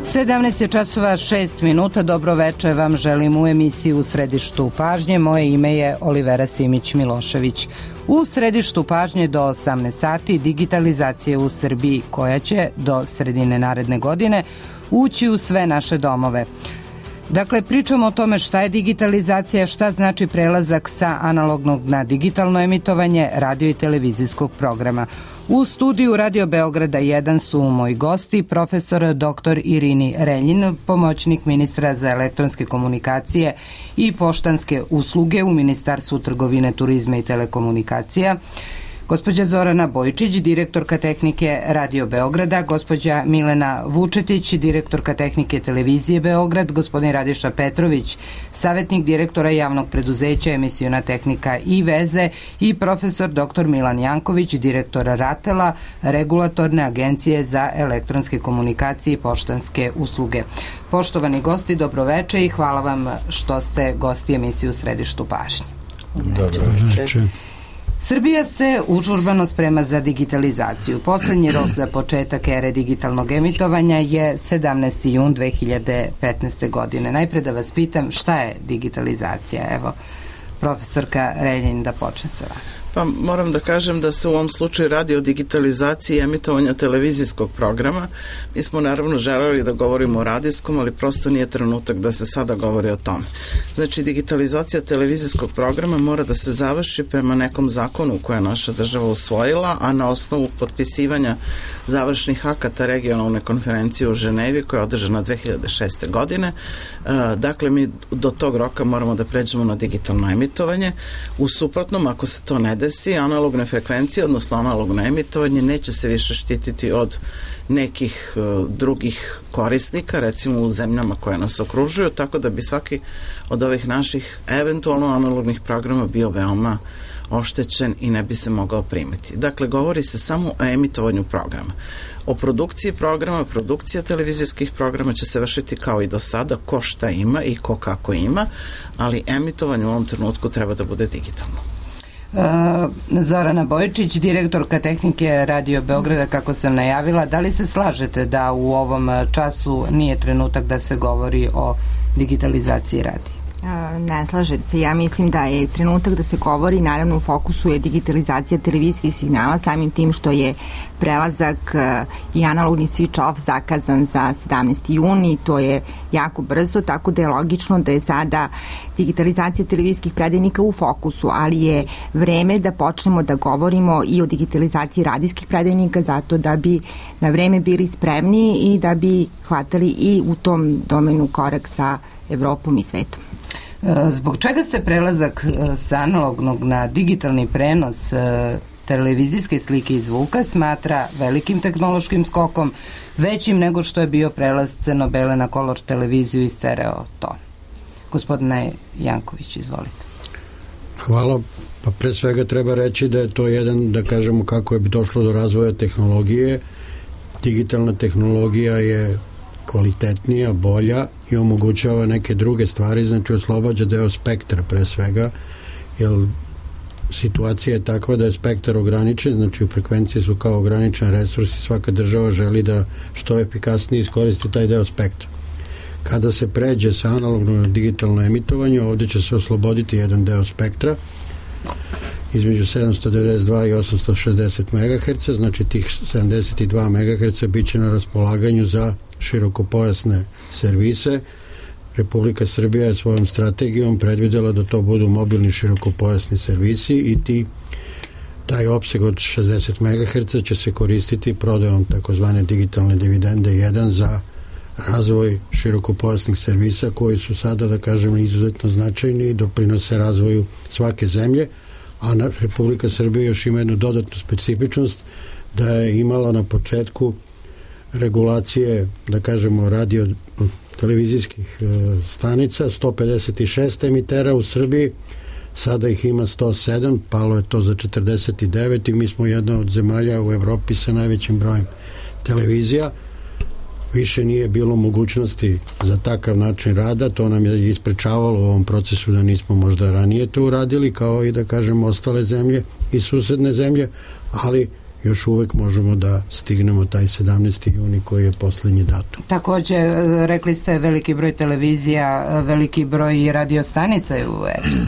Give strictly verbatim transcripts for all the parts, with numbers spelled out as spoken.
sedamnaest je časova šest minuta. Dobro veče vam želim u emisiji U središtu pažnje. Moje ime je Olivera Simić-Milošević. U središtu pažnje do osamnaest sati digitalizacija u Srbiji, koja će do sredine naredne godine ući u sve naše domove. Dakle, pričamo o tome šta je digitalizacija, šta znači prelazak sa analognog na digitalno emitovanje radio i televizijskog programa. U studiju Radio Beograda jedan su moji gosti, profesor doktor Irini Reljin, pomoćnik ministra za elektronske komunikacije i poštanske usluge u Ministarstvu trgovine, turizma i telekomunikacija, gospođa Zorana Bojčić, direktorka tehnike Radio Beograda, gospođa Milena Vučetić, direktorka tehnike Televizije Beograd, gospodin Radiša Petrović, savjetnik direktora javnog preduzeća Emisiona tehnika i veze i profesor doktor Milan Janković, direktor RATEL-a, Regulatorne agencije za elektronske komunikacije i poštanske usluge. Poštovani gosti, dobroveče i hvala vam što ste gosti emisije U središtu pažnje. Dobroveče. Srbija se užurbano sprema za digitalizaciju. Poslednji rok za početak ere digitalnog emitovanja je sedamnaesti jun dve hiljade petnaeste. godine. Najpre da vas pitam šta je digitalizacija? Evo, profesorka Reljin, da počne sa vama. Pa moram da kažem da se u ovom slučaju radi o digitalizaciji emitovanja televizijskog programa. Mi smo naravno želeli da govorimo o radijskom, ali prosto nije trenutak da se sada govori o tome. Znači, digitalizacija televizijskog programa mora da se završi prema nekom zakonu koje je naša država usvojila, a na osnovu potpisivanja završnih akata regionalne konferencije u Ženevi koja je održana dve hiljade šeste. godine. Dakle, mi do tog roka moramo da pređemo na digitalno emitovanje. U suprotnom, ako se to ne desi, analogne frekvencije, odnosno analogno emitovanje, neće se više štititi od nekih uh, drugih korisnika, recimo u zemljama koje nas okružuju, tako da bi svaki od ovih naših eventualno analognih programa bio veoma oštećen i ne bi se mogao primiti. Dakle, govori se samo o emitovanju programa. O produkciji programa, produkcija televizijskih programa će se vršiti kao i do sada, ko šta ima i ko kako ima, ali emitovanje u ovom trenutku treba da bude digitalno. Zorana Bojčić, direktorka tehnike Radio Beograda, kako sam najavila, da li se slažete da u ovom času nije trenutak da se govori o digitalizaciji radija? Ne slažem se. Ja mislim da je trenutak da se govori, naravno u fokusu je digitalizacija televizijskih signala, samim tim što je prelazak i analogni switch off zakazan za sedamnaesti jun i to je jako brzo, tako da je logično da je sada digitalizacija televizijskih predajnika u fokusu, ali je vreme da počnemo da govorimo i o digitalizaciji radijskih predajnika zato da bi na vreme bili spremni i da bi hvatali i u tom domenu korak sa Evropom i svetom. Zbog čega se prelazak sa analognog na digitalni prenos televizijske slike i zvuka smatra velikim tehnološkim skokom, većim nego što je bio prelaz crno-bele na kolor televiziju i stereo ton? Gospodine Janković, izvolite. Hvala. Pa pre svega treba reći da je to jedan, da kažemo kako je došlo do razvoja tehnologije. Digitalna tehnologija je kvalitetnija, bolja i omogućava neke druge stvari, znači oslobađa deo spektra pre svega, jer situacija je takva da je spektar ograničen, znači frekvencije su kao ograničen resurs i svaka država želi da što efikasnije iskoristi taj deo spektra. Kada se pređe sa analogno na digitalno emitovanje, ovdje će se osloboditi jedan deo spektra između sedamsto devedeset dva i osamsto šezdeset megaherca, znači tih sedamdeset dva megaherca bit će na raspolaganju za širokopojasne servise. Republika Srbija je svojom strategijom predvidela da to budu mobilni širokopojasni servisi i ti taj opseg od šezdeset megaherca će se koristiti prodajom takozvane digitalne dividende jedan za razvoj širokopojasnih servisa koji su sada, da kažem, izuzetno značajni i doprinose razvoju svake zemlje, a Republika Srbija još ima jednu dodatnu specifičnost da je imala na početku regulacije, da kažemo, radio televizijskih stanica, sto pedeset šest emitera u Srbiji, sada ih ima sto sedam, palo je to za četrdeset devet i mi smo jedna od zemalja u Evropi sa najvećim brojem televizija. Više nije bilo mogućnosti za takav način rada, to nam je isprečavalo u ovom procesu da nismo možda ranije to uradili, kao i da kažemo ostale zemlje i susedne zemlje, ali još uvek možemo da stignemo taj sedamnaesti juni koji je poslednji datum. Takođe, rekli ste veliki broj televizija, veliki broj radiostanica je u etru.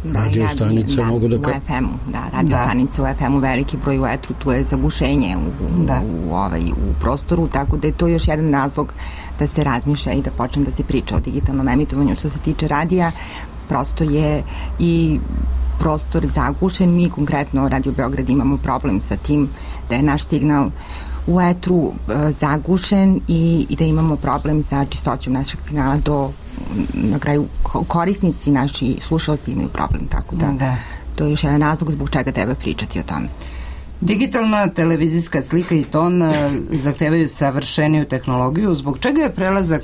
Da, radio stanice da, mogu da... U ef emu, da, radio da. stanice u ef emu, veliki broj u etru, tu je zagušenje u, da. u, ovaj, u prostoru, tako da je to još jedan razlog da se razmišlja i da počne da se priča o digitalnom emitovanju. Što se tiče radija, prosto je i prostor zagušen. Mi konkretno Radio Beograd imamo problem sa tim da je naš signal u etru e, zagušen i, i da imamo problem sa čistoćom našeg signala do na kraju korisnici, naši slušalci imaju problem, tako da, da to je još jedan razlog zbog čega treba pričati o tome. Digitalna televizijska slika i ton zahtevaju savršeniju tehnologiju, zbog čega je prelazak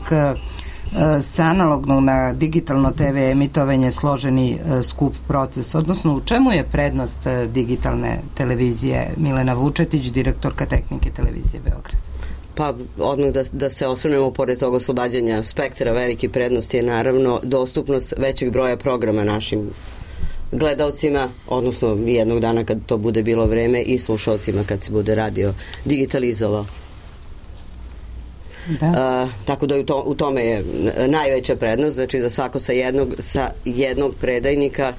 sa analognog na digitalno te ve emitovanje složeni skup proces, odnosno u čemu je prednost digitalne televizije? Milena Vučetić, direktorka tehnike televizije Beograd. Pa odmah da, da se osvrnemo pored tog oslobađanja spektra, veliki prednost je naravno dostupnost većeg broja programa našim gledalcima, odnosno jednog dana kad to bude bilo vreme i slušalcima kad se bude radio digitalizovao. Da. A, tako da u, to, u tome je najveća prednost, znači da svako sa jednog, sa jednog predajnika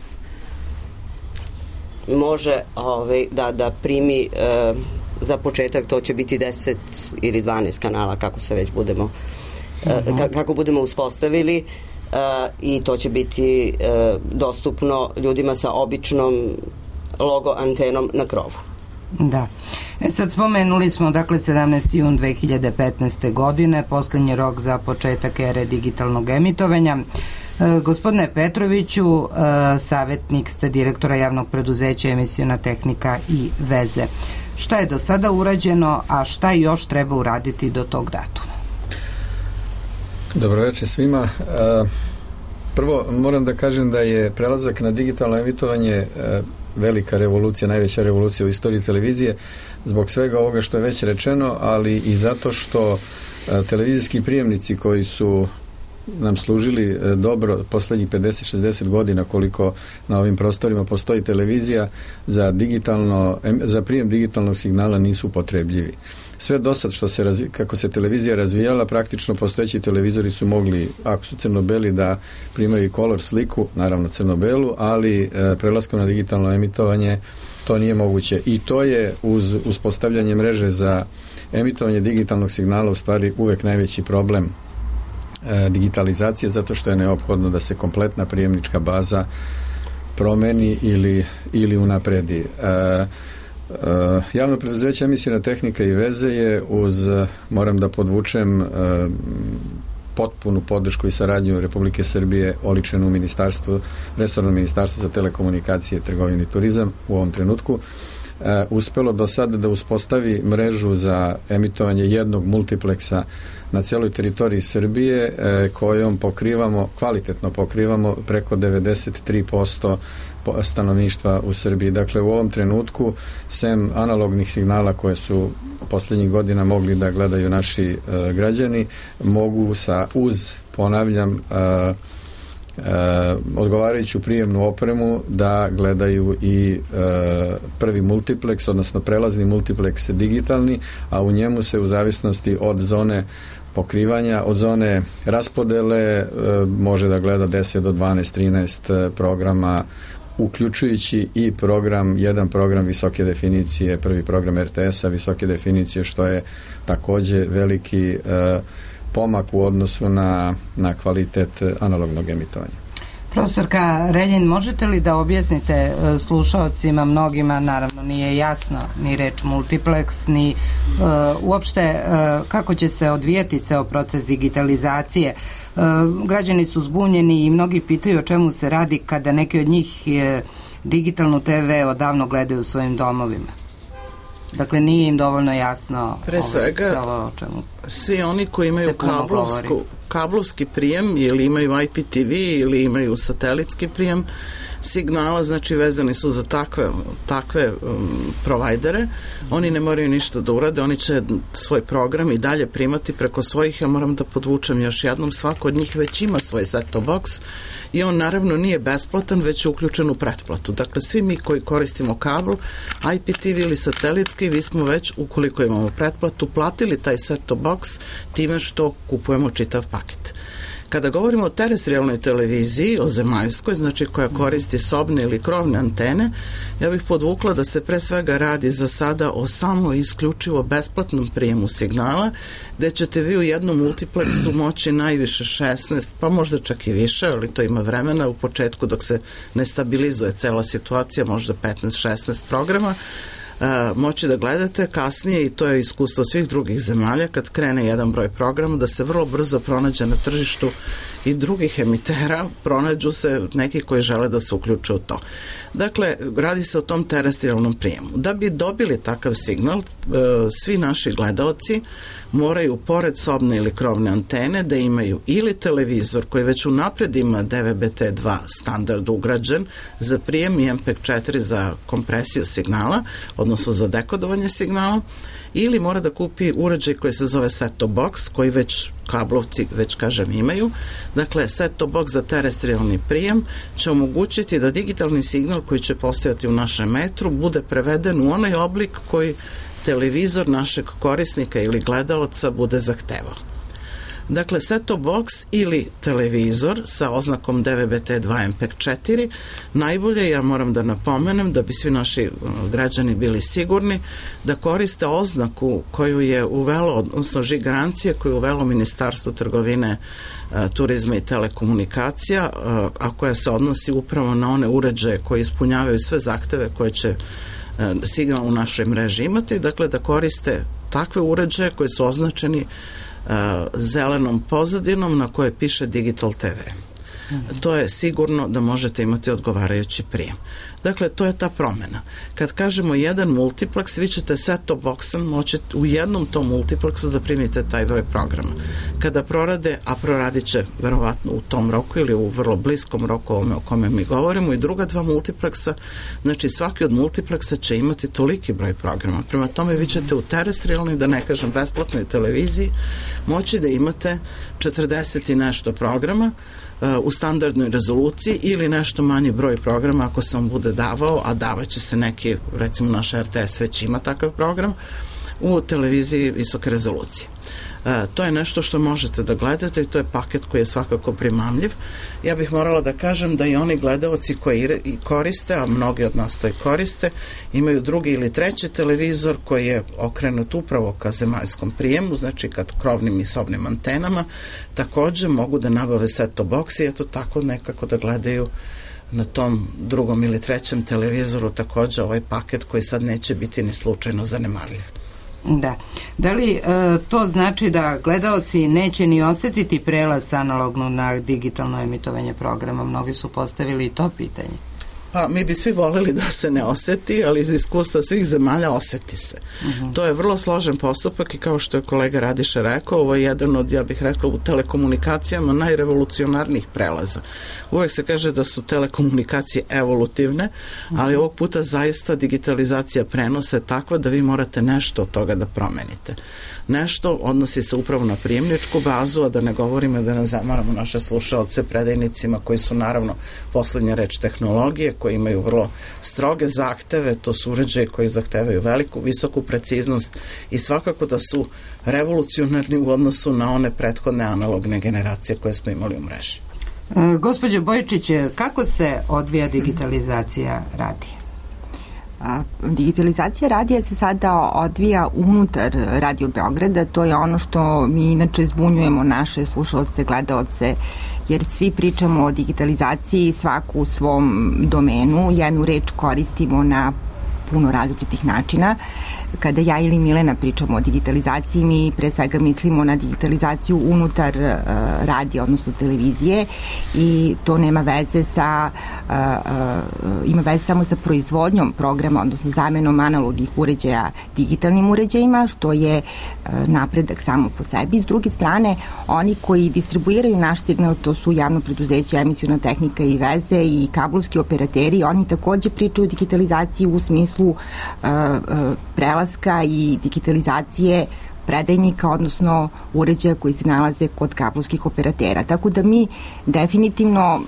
može ovaj, da, da primi uh, za početak, to će biti deset ili dvanaest kanala kako se već budemo uh, ka, kako budemo uspostavili uh, i to će biti uh, dostupno ljudima sa običnom logo antenom na krovu. Da. E sad spomenuli smo, dakle, sedamnaesti jun dve hiljade petnaeste. godine, poslednji rok za početak ere digitalnog emitovanja. E, gospodine Petroviću, e, savjetnik ste direktora javnog preduzeća Emisiona tehnika i veze. Šta je do sada urađeno, a šta još treba uraditi do tog datuma? Dobroveče svima. E, prvo moram da kažem da je prelazak na digitalno emitovanje e, velika revolucija, najveća revolucija u istoriji televizije, zbog svega ovoga što je već rečeno, ali i zato što e, televizijski prijemnici koji su nam služili e, dobro poslednjih pedeset šezdeset godina koliko na ovim prostorima postoji televizija, za digitalno em, za prijem digitalnog signala nisu upotrebljivi. Sve do sad što se razvi, kako se televizija razvijala, praktično postojeći televizori su mogli, ako su crno-beli, da primaju i color sliku, naravno crno-belu, ali e, prelaskom na digitalno emitovanje to nije moguće. I to je uz uspostavljanje mreže za emitovanje digitalnog signala u stvari uvek najveći problem e, digitalizacije, zato što je neophodno da se kompletna prijemnička baza promeni ili, ili unapredi. E, Uh, javno preduzeće Emisiona tehnika i veze je uz, moram da podvučem, uh, potpunu podršku i saradnju Republike Srbije oličenu u ministarstvu, resorno ministarstvo za telekomunikacije, trgovinu i turizam u ovom trenutku, uh, uspelo do sada da uspostavi mrežu za emitovanje jednog multipleksa na celoj teritoriji Srbije, uh, kojom pokrivamo, kvalitetno pokrivamo preko devedeset tri posto stanovništva u Srbiji. Dakle, u ovom trenutku, sem analognih signala koje su poslednjih godina mogli da gledaju naši e, građani, mogu sa uz, ponavljam, e, e, odgovarajuću prijemnu opremu da gledaju i e, prvi multipleks, odnosno prelazni multipleks digitalni, a u njemu se u zavisnosti od zone pokrivanja, od zone raspodele e, može da gleda deset do dvanaest, trinaest programa, uključujući i program, jedan program visoke definicije, prvi program er te es-a visoke definicije, što je takođe veliki e, pomak u odnosu na, na kvalitet analognog emitovanja. Profesorka Reljin, možete li da objasnite slušaocima, mnogima naravno nije jasno ni reč multiplex, ni uh, uopšte uh, kako će se odvijati ceo proces digitalizacije? Uh, građani su zbunjeni i mnogi pitaju o čemu se radi kada neki od njih je digitalnu te ve odavno gledaju u svojim domovima. Dakle, nije im dovoljno jasno pre svega ovo o čemu svi oni koji imaju kablovsku, kablovski prijem ili imaju I P T V ili imaju satelitski prijem signala, znači vezani su za takve, takve um, provajdere. Oni ne moraju ništa da urade, oni će svoj program i dalje primati preko svojih, ja moram da podvučem još jednom, svako od njih već ima svoj set-top box i on naravno nije besplatan, već je uključen u pretplatu. Dakle, svi mi koji koristimo kabel, I P T V ili satelitski, vi smo već, ukoliko imamo pretplatu, platili taj set-top box time što kupujemo čitav paket. Kada govorimo o terestrijalnoj televiziji, o zemaljskoj, znači koja koristi sobne ili krovne antene, ja bih podvukla da se pre svega radi za sada o samo isključivo besplatnom prijemu signala, gde ćete vi u jednom multiplexu moći najviše šesnaest, pa možda čak i više, ali to ima vremena u početku dok se ne stabilizuje cela situacija, možda petnaest šesnaest programa, Uh, moći da gledate kasnije, i to je iskustvo svih drugih zemalja, kad krene jedan broj programa, da se vrlo brzo pronađe na tržištu i drugih emitera, pronađu se neki koji žele da se uključe u to. Dakle, radi se o tom terestrijalnom prijemu. Da bi dobili takav signal, uh, svi naši gledaoci moraju, pored sobne ili krovne antene, da imaju ili televizor koji već unapred ima D V B T dva standard ugrađen za prijem i M P četiri za kompresiju signala, odnosno za dekodovanje signala, ili mora da kupi uređaj koji se zove set-top box, koji već kablovci, već kažem, imaju. Dakle, set-top box za terestrijalni prijem će omogućiti da digitalni signal koji će postojati u našem metru bude preveden u onaj oblik koji televizor našeg korisnika ili gledaoca bude zahtevao. Dakle, set-top box ili televizor sa oznakom D V B T dva M P četiri, najbolje, ja moram da napomenem, da bi svi naši građani bili sigurni, da koriste oznaku koju je uvelo, odnosno žig garancije koju je uvelo Ministarstvo trgovine, turizma i telekomunikacija, a koja se odnosi upravo na one uređaje koji ispunjavaju sve zahteve koje će signal u našoj mreži imati, dakle da koriste takve uređaje koji su označeni uh, zelenom pozadinom na kojoj piše Digital T V. Mm-hmm. To je sigurno da možete imati odgovarajući prijem. Dakle, to je ta promena. Kad kažemo jedan multiplex, vi ćete set-top boxom moći u jednom tom multiplexu da primite taj broj programa. Kada prorade, a proradit će verovatno u tom roku ili u vrlo bliskom roku ovome o kome mi govorimo, i druga dva multiplexa, znači svaki od multiplexa će imati toliki broj programa. Prema tome vi ćete u terestrijalnoj, da ne kažem besplatnoj televiziji, moći da imate četrdeset i nešto programa u standardnoj rezoluciji ili nešto manji broj programa ako se on bude davao, a davaće se neki, recimo naš R T S već ima takav program, u televiziji visoke rezolucije. E, to je nešto što možete da gledate i to je paket koji je svakako primamljiv. Ja bih morala da kažem da i oni gledaoci koji koriste, a mnogi od nas to i koriste, imaju drugi ili treći televizor koji je okrenut upravo ka zemaljskom prijemu, znači kad krovnim i sobnim antenama, takođe mogu da nabave set-top box i eto tako nekako da gledaju na tom drugom ili trećem televizoru takođe ovaj paket koji sad neće biti ni slučajno zanemarljiv. Da. Da li e, to znači da gledaoci neće ni osetiti prelaz sa analogno na digitalno emitovanje programa? Mnogi su postavili i to pitanje. Pa mi bi svi voleli da se ne oseti, ali iz iskustva svih zemalja oseti se. Uh-huh. To je vrlo složen postupak i kao što je kolega Radiša rekao, ovo je jedan od, ja bih rekla, u telekomunikacijama najrevolucionarnijih prelaza. Uvek se kaže da su telekomunikacije evolutivne, uh-huh. ali ovog puta zaista digitalizacija prenosa je takva da vi morate nešto od toga da promenite. Nešto odnosi se upravo na prijemničku bazu, a da ne govorimo da ne zamaramo naše slušalce predajnicima koji su naravno poslednja reč tehnologije, koji imaju vrlo stroge zahteve, to su uređaje koji zahtevaju veliku, visoku preciznost i svakako da su revolucionarni u odnosu na one prethodne analogne generacije koje smo imali u mreži. E, gospođo Bojičić, kako se odvija digitalizacija radija? Digitalizacija radija se sada odvija unutar Radio Beograda, to je ono što mi inače zbunjujemo naše slušalce, gledaoce, jer svi pričamo o digitalizaciji svaku u svom domenu, jednu reč koristimo na puno različitih načina. Kada ja ili Milena pričamo o digitalizaciji, mi pre svega mislimo na digitalizaciju unutar uh, radija, odnosno televizije, i to nema veze sa uh, uh, ima veze samo sa proizvodnjom programa, odnosno zamenom analognih uređaja digitalnim uređajima, što je uh, napredak samo po sebi. S druge strane, oni koji distribuiraju naš signal, to su javno preduzeće, emisiona tehnika i veze i kablovski operateri, oni takođe pričaju o digitalizaciji u smislu uh, uh, prelaska i digitalizacije predajnika, odnosno uređaja koji se nalaze kod kablovskih operatera. Tako da mi definitivno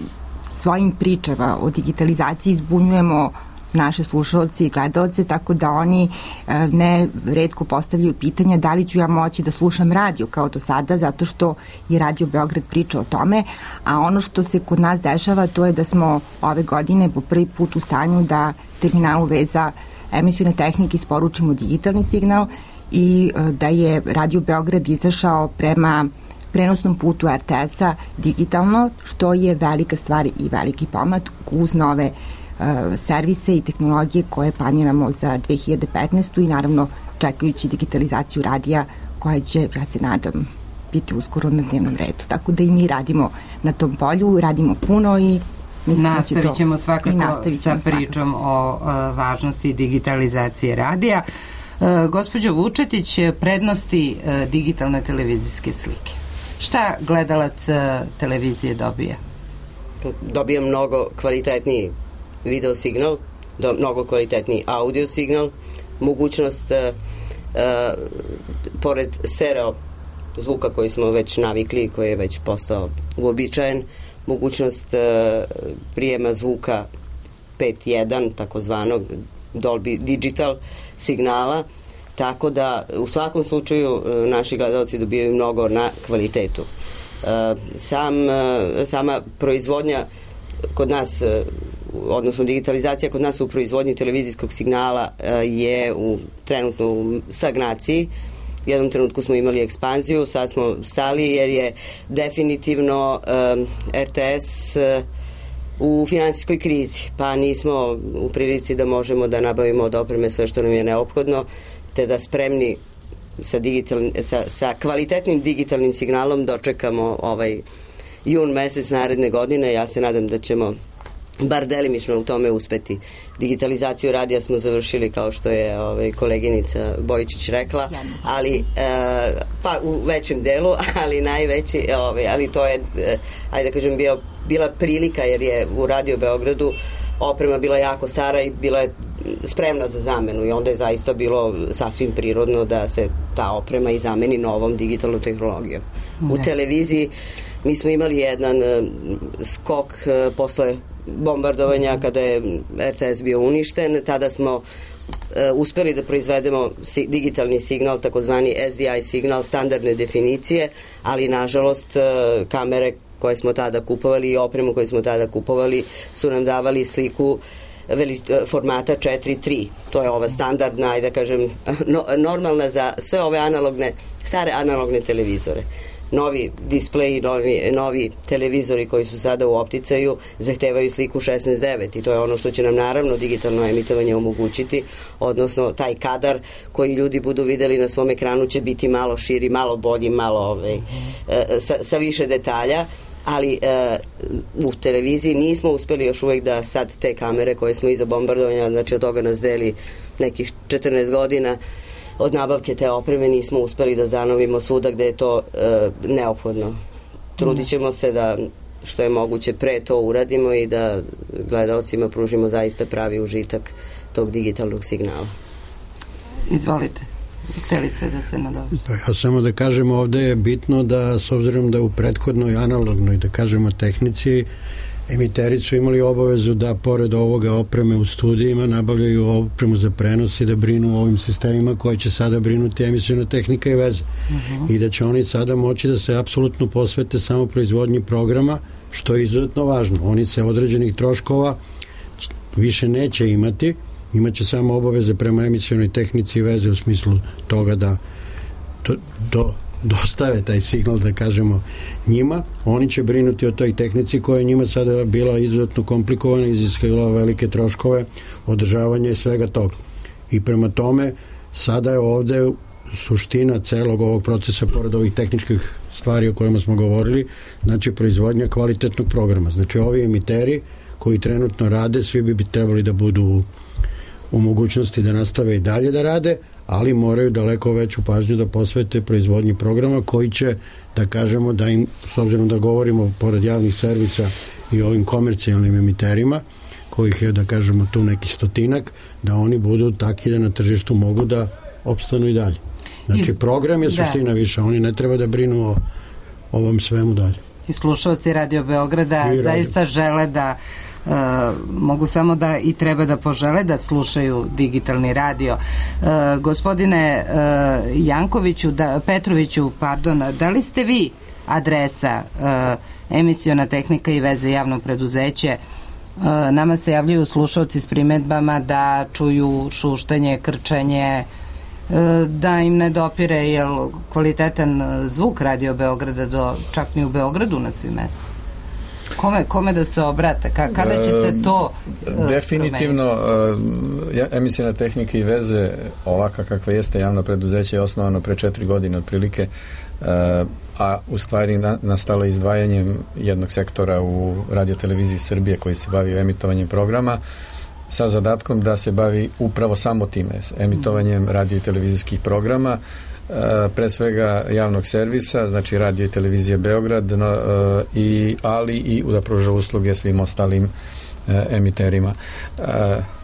svojim pričama o digitalizaciji zbunjujemo naše slušalce i gledalce, tako da oni e, ne retko postavljaju pitanja da li ću ja moći da slušam radio kao do sada, zato što je Radio Beograd priča o tome, a ono što se kod nas dešava, to je da smo ove godine po prvi put u stanju da terminalu veza emisione tehnike isporučimo digitalni signal i e, da je Radio Beograd izašao prema prenosnom putu er te es-a digitalno, što je velika stvar i veliki pomak uz nove servise i tehnologije koje planiramo za dve hiljade petnaestu. i naravno čekajući digitalizaciju radija koja će, ja se nadam, biti uskoro na dnevnom redu. Tako da i mi radimo na tom polju, radimo puno i nastavit ćemo svakako sa pričom o uh, važnosti digitalizacije radija. Uh, gospođo Vučetić, prednosti uh, digitalne televizijske slike. Šta gledalac uh, televizije dobija? Dobija mnogo kvalitetniji video signal, do, mnogo kvalitetniji audio signal, mogućnost uh, uh, pored stereo zvuka koji smo već navikli, koji je već postao uobičajen, mogućnost uh, prijema zvuka pet jedan, takozvanog Dolby Digital signala, tako da u svakom slučaju uh, naši gledalci dobijaju mnogo na kvalitetu. Uh, sam, uh, sama proizvodnja kod nas, uh, odnosno digitalizacija kod nas u proizvodnji televizijskog signala uh, je u trenutno u stagnaciji. U jednom trenutku smo imali ekspanziju, sad smo stali jer je definitivno um, er te es uh, u finansijskoj krizi, pa nismo u prilici da možemo da nabavimo od opreme sve što nam je neophodno, te da spremni sa, digital, sa, sa kvalitetnim digitalnim signalom dočekamo ovaj jun mesec naredne godine. Ja se nadam da ćemo bar delimično u tome uspeti. Digitalizaciju radija smo završili, kao što je ovaj, koleginica Bojičić rekla, ali e, pa u većem delu, ali najveći, ovaj, ali to je, e, ajde da kažem, bio, bila prilika, jer je u Radio Beogradu oprema bila jako stara i bila je spremna za zamenu, i onda je zaista bilo sasvim prirodno da se ta oprema i zameni novom digitalnom tehnologijom. Ne. U televiziji mi smo imali jedan uh, skok uh, posle bombardovanja kada je er te es bio uništen. Tada smo uh, uspeli da proizvedemo si, digitalni signal, takozvani es di i signal standardne definicije, ali nažalost uh, kamere koje smo tada kupovali i opremu koju smo tada kupovali su nam davali sliku veli, formata četiri tri. To je ova standardna, ajde da kažem, no, normalna za sve ove analogne, stare analogne televizore. Novi displeji, novi, novi televizori koji su sada u opticaju zahtevaju sliku šesnaest devet, i to je ono što će nam naravno digitalno emitovanje omogućiti, odnosno taj kadar koji ljudi budu videli na svom ekranu će biti malo širi, malo bolji, malo ovaj, sa, sa više detalja, ali e, u televiziji nismo uspeli još uvek da sad te kamere koje smo iza bombardovanja, znači od toga nas deli nekih četrnaest godina od nabavke te opreme, nismo uspeli da zanovimo svuda gde je to e, neophodno. Trudit ćemo se da što je moguće pre to uradimo i da gledalcima pružimo zaista pravi užitak tog digitalnog signala. Izvolite. Hteli se da se nadoveže. Pa ja samo da kažem, ovde je bitno da, s obzirom da u prethodnoj analognoj, da kažemo, tehnici, emiteri su imali obavezu da pored ovoga opreme u studijima nabavljaju opremu za prenos i da brinu o ovim sistemima koji će sada brinuti emisiona tehnika i veze. Uh-huh. I da će oni sada moći da se apsolutno posvete samo proizvodnji programa, što je izuzetno važno. Oni se određenih troškova više neće imati, imaće samo obaveze prema emisionoj tehnici i veze u smislu toga da do, do dostave taj signal, da kažemo, njima. Oni će brinuti o toj tehnici koja je njima sada bila izuzetno komplikovana, iziskivala velike troškove, održavanja i svega toga. I prema tome, sada je ovde suština celog ovog procesa, pored ovih tehničkih stvari o kojima smo govorili, znači proizvodnja kvalitetnog programa. Znači ovi emiteri koji trenutno rade, svi bi trebali da budu u, u mogućnosti da nastave i dalje da rade, ali moraju daleko veću pažnju da posvete proizvodnji programa koji će, da kažemo, da im, s obzirom da govorimo pored javnih servisa i ovim komercijalnim emiterima, kojih je, da kažemo, tu neki stotinak, da oni budu takvi da na tržištu mogu da opstanu i dalje. Znači, Iz... program je suština da. više, oni ne treba da brinu o ovom svemu dalje. I slušalci Radio Beograda I zaista radio. žele da Uh, mogu samo da i treba da požele da slušaju digitalni radio. Uh, gospodine uh, Jankoviću, da, Petroviću, pardon, da li ste vi adresa uh, Emisiona tehnika i veze javno preduzeće? Uh, nama se javljaju slušalci s primedbama da čuju šuštanje, krčanje, uh, da im ne dopire jel, kvalitetan zvuk Radio Beograda do, čak ni u Beogradu na svim mestima. Kome, kome da se obrate? Ka, kada će se to uh, definitivno uh, Emisiona tehnika i veze ovaka kakva jeste javno preduzeće je osnovano pre četiri godine otprilike, uh, a u stvari na, nastalo izdvajanjem jednog sektora u radioteleviziji Srbije koji se bavi emitovanjem programa sa zadatkom da se bavi upravo samo time, emitovanjem radio i televizijskih programa, pre svega javnog servisa, znači radio i televizije Beograd, no, i, ali i da pruža usluge svim ostalim e, emiterima. E,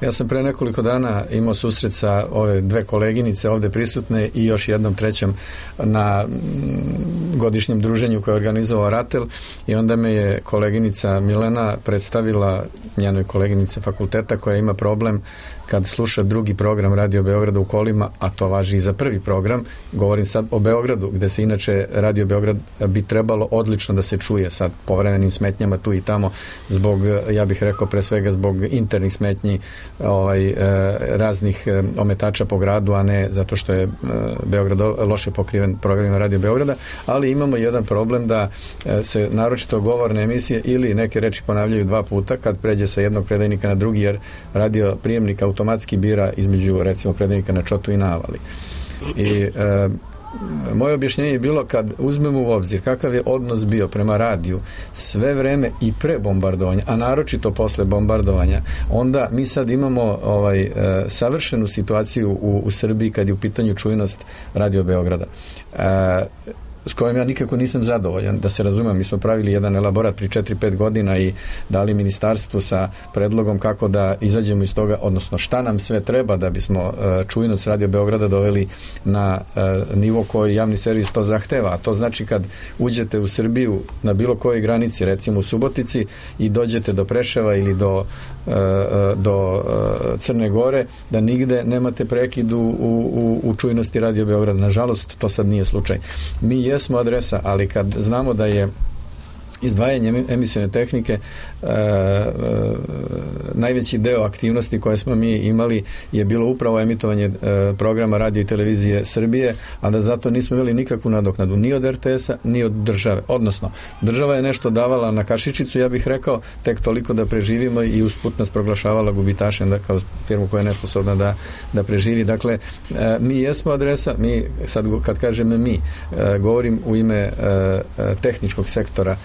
ja sam pre nekoliko dana imao susret sa ove dve koleginice ovde prisutne i još jednom trećom na m, godišnjem druženju koje je organizovao RATEL i onda me je koleginica Milena predstavila njenoj koleginice fakulteta koja ima problem kad sluša drugi program Radio Beograda u kolima, a to važi i za prvi program, govorim sad o Beogradu, gde se inače Radio Beograd bi trebalo odlično da se čuje sa povremenim smetnjama tu i tamo, zbog, ja bih rekao pre svega zbog internih smetnji ovaj, raznih ometača po gradu, a ne zato što je Beograd loše pokriven programima Radio Beograda, ali imamo jedan problem da se naročito govorne emisije ili neke reči ponavljaju dva puta kad pređe sa jednog predajnika na drugi, jer radio prijemnik automatski bira između recimo predajnika na Čotu i na Avali. I e, moje objašnjenje je bilo kad uzmemo u obzir kakav je odnos bio prema radiju sve vreme i pre bombardovanja, a naročito posle bombardovanja, onda mi sad imamo ovaj, e, savršenu situaciju u, u Srbiji kad je u pitanju čujnost Radio Beograda. E, s kojim ja nikako nisam zadovoljan, da se razumem, mi smo pravili jedan elaborat pri četiri pet godina i dali ministarstvu sa predlogom kako da izađemo iz toga, odnosno šta nam sve treba da bismo uh, čujnost Radio Beograda doveli na uh, nivo koji javni servis to zahteva, a to znači kad uđete u Srbiju na bilo kojoj granici, recimo u Subotici i dođete do Preševa ili do, uh, do uh, Crne Gore, da nigde nemate prekid u, u, u čujnosti Radio Beograda. Nažalost, to sad nije slučaj. Mi jesmo adresa, ali kad znamo da je izdvajanje emisione tehnike e, e, najveći deo aktivnosti koje smo mi imali je bilo upravo emitovanje e, programa radio i televizije Srbije, a da zato nismo imali nikakvu nadoknadu ni od er te esa ni od države, odnosno država je nešto davala na kašičicu, ja bih rekao tek toliko da preživimo i usput nas proglašavala gubitašem, da kao firmu koja je nesposobna da, da preživi. Dakle, e, mi jesmo adresa, mi sad kad kažem mi, e, govorim u ime e, tehničkog sektora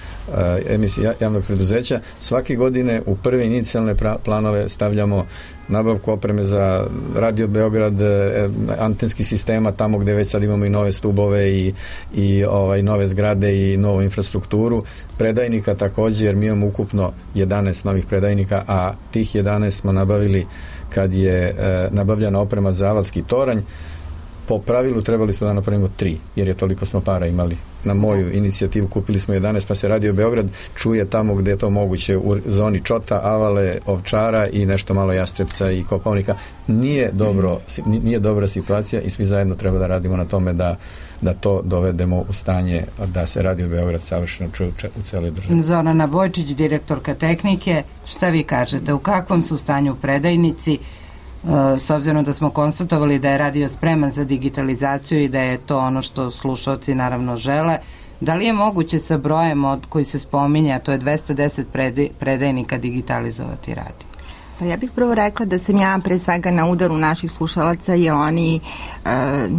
emisija javnog preduzeća. Svake godine u prve inicijalne planove stavljamo nabavku opreme za Radio Beograd, antenski sistema tamo gde već sad imamo i nove stubove i, i ovaj, nove zgrade i novu infrastrukturu. Predajnika takođe, jer mi imamo ukupno jedanaest novih predajnika, a tih jedanaest smo nabavili kad je e, nabavljena oprema za avalski toranj. Po pravilu trebali smo da napravimo tri, jer je toliko smo para imali. Na moju inicijativu kupili smo jedanaest, pa se Radio Beograd čuje tamo gde je to moguće, u zoni Čota, Avale, Ovčara i nešto malo Jastrebca i Kopaonika. Nije dobro, nije dobra situacija i svi zajedno treba da radimo na tome da, da to dovedemo u stanje da se Radio Beograd savršeno čuje u celoj državi. Zorana Bojčić, direktorka tehnike, šta vi kažete? U kakvom su stanju predajnici? S obzirom da smo konstatovali da je radio spreman za digitalizaciju i da je to ono što slušalci naravno žele, da li je moguće sa brojem od koji se spominja, to je dvesta deset predajnika, digitalizovati radio? Pa ja bih prvo rekla da sam ja pre svega na udaru naših slušalaca, jer oni e,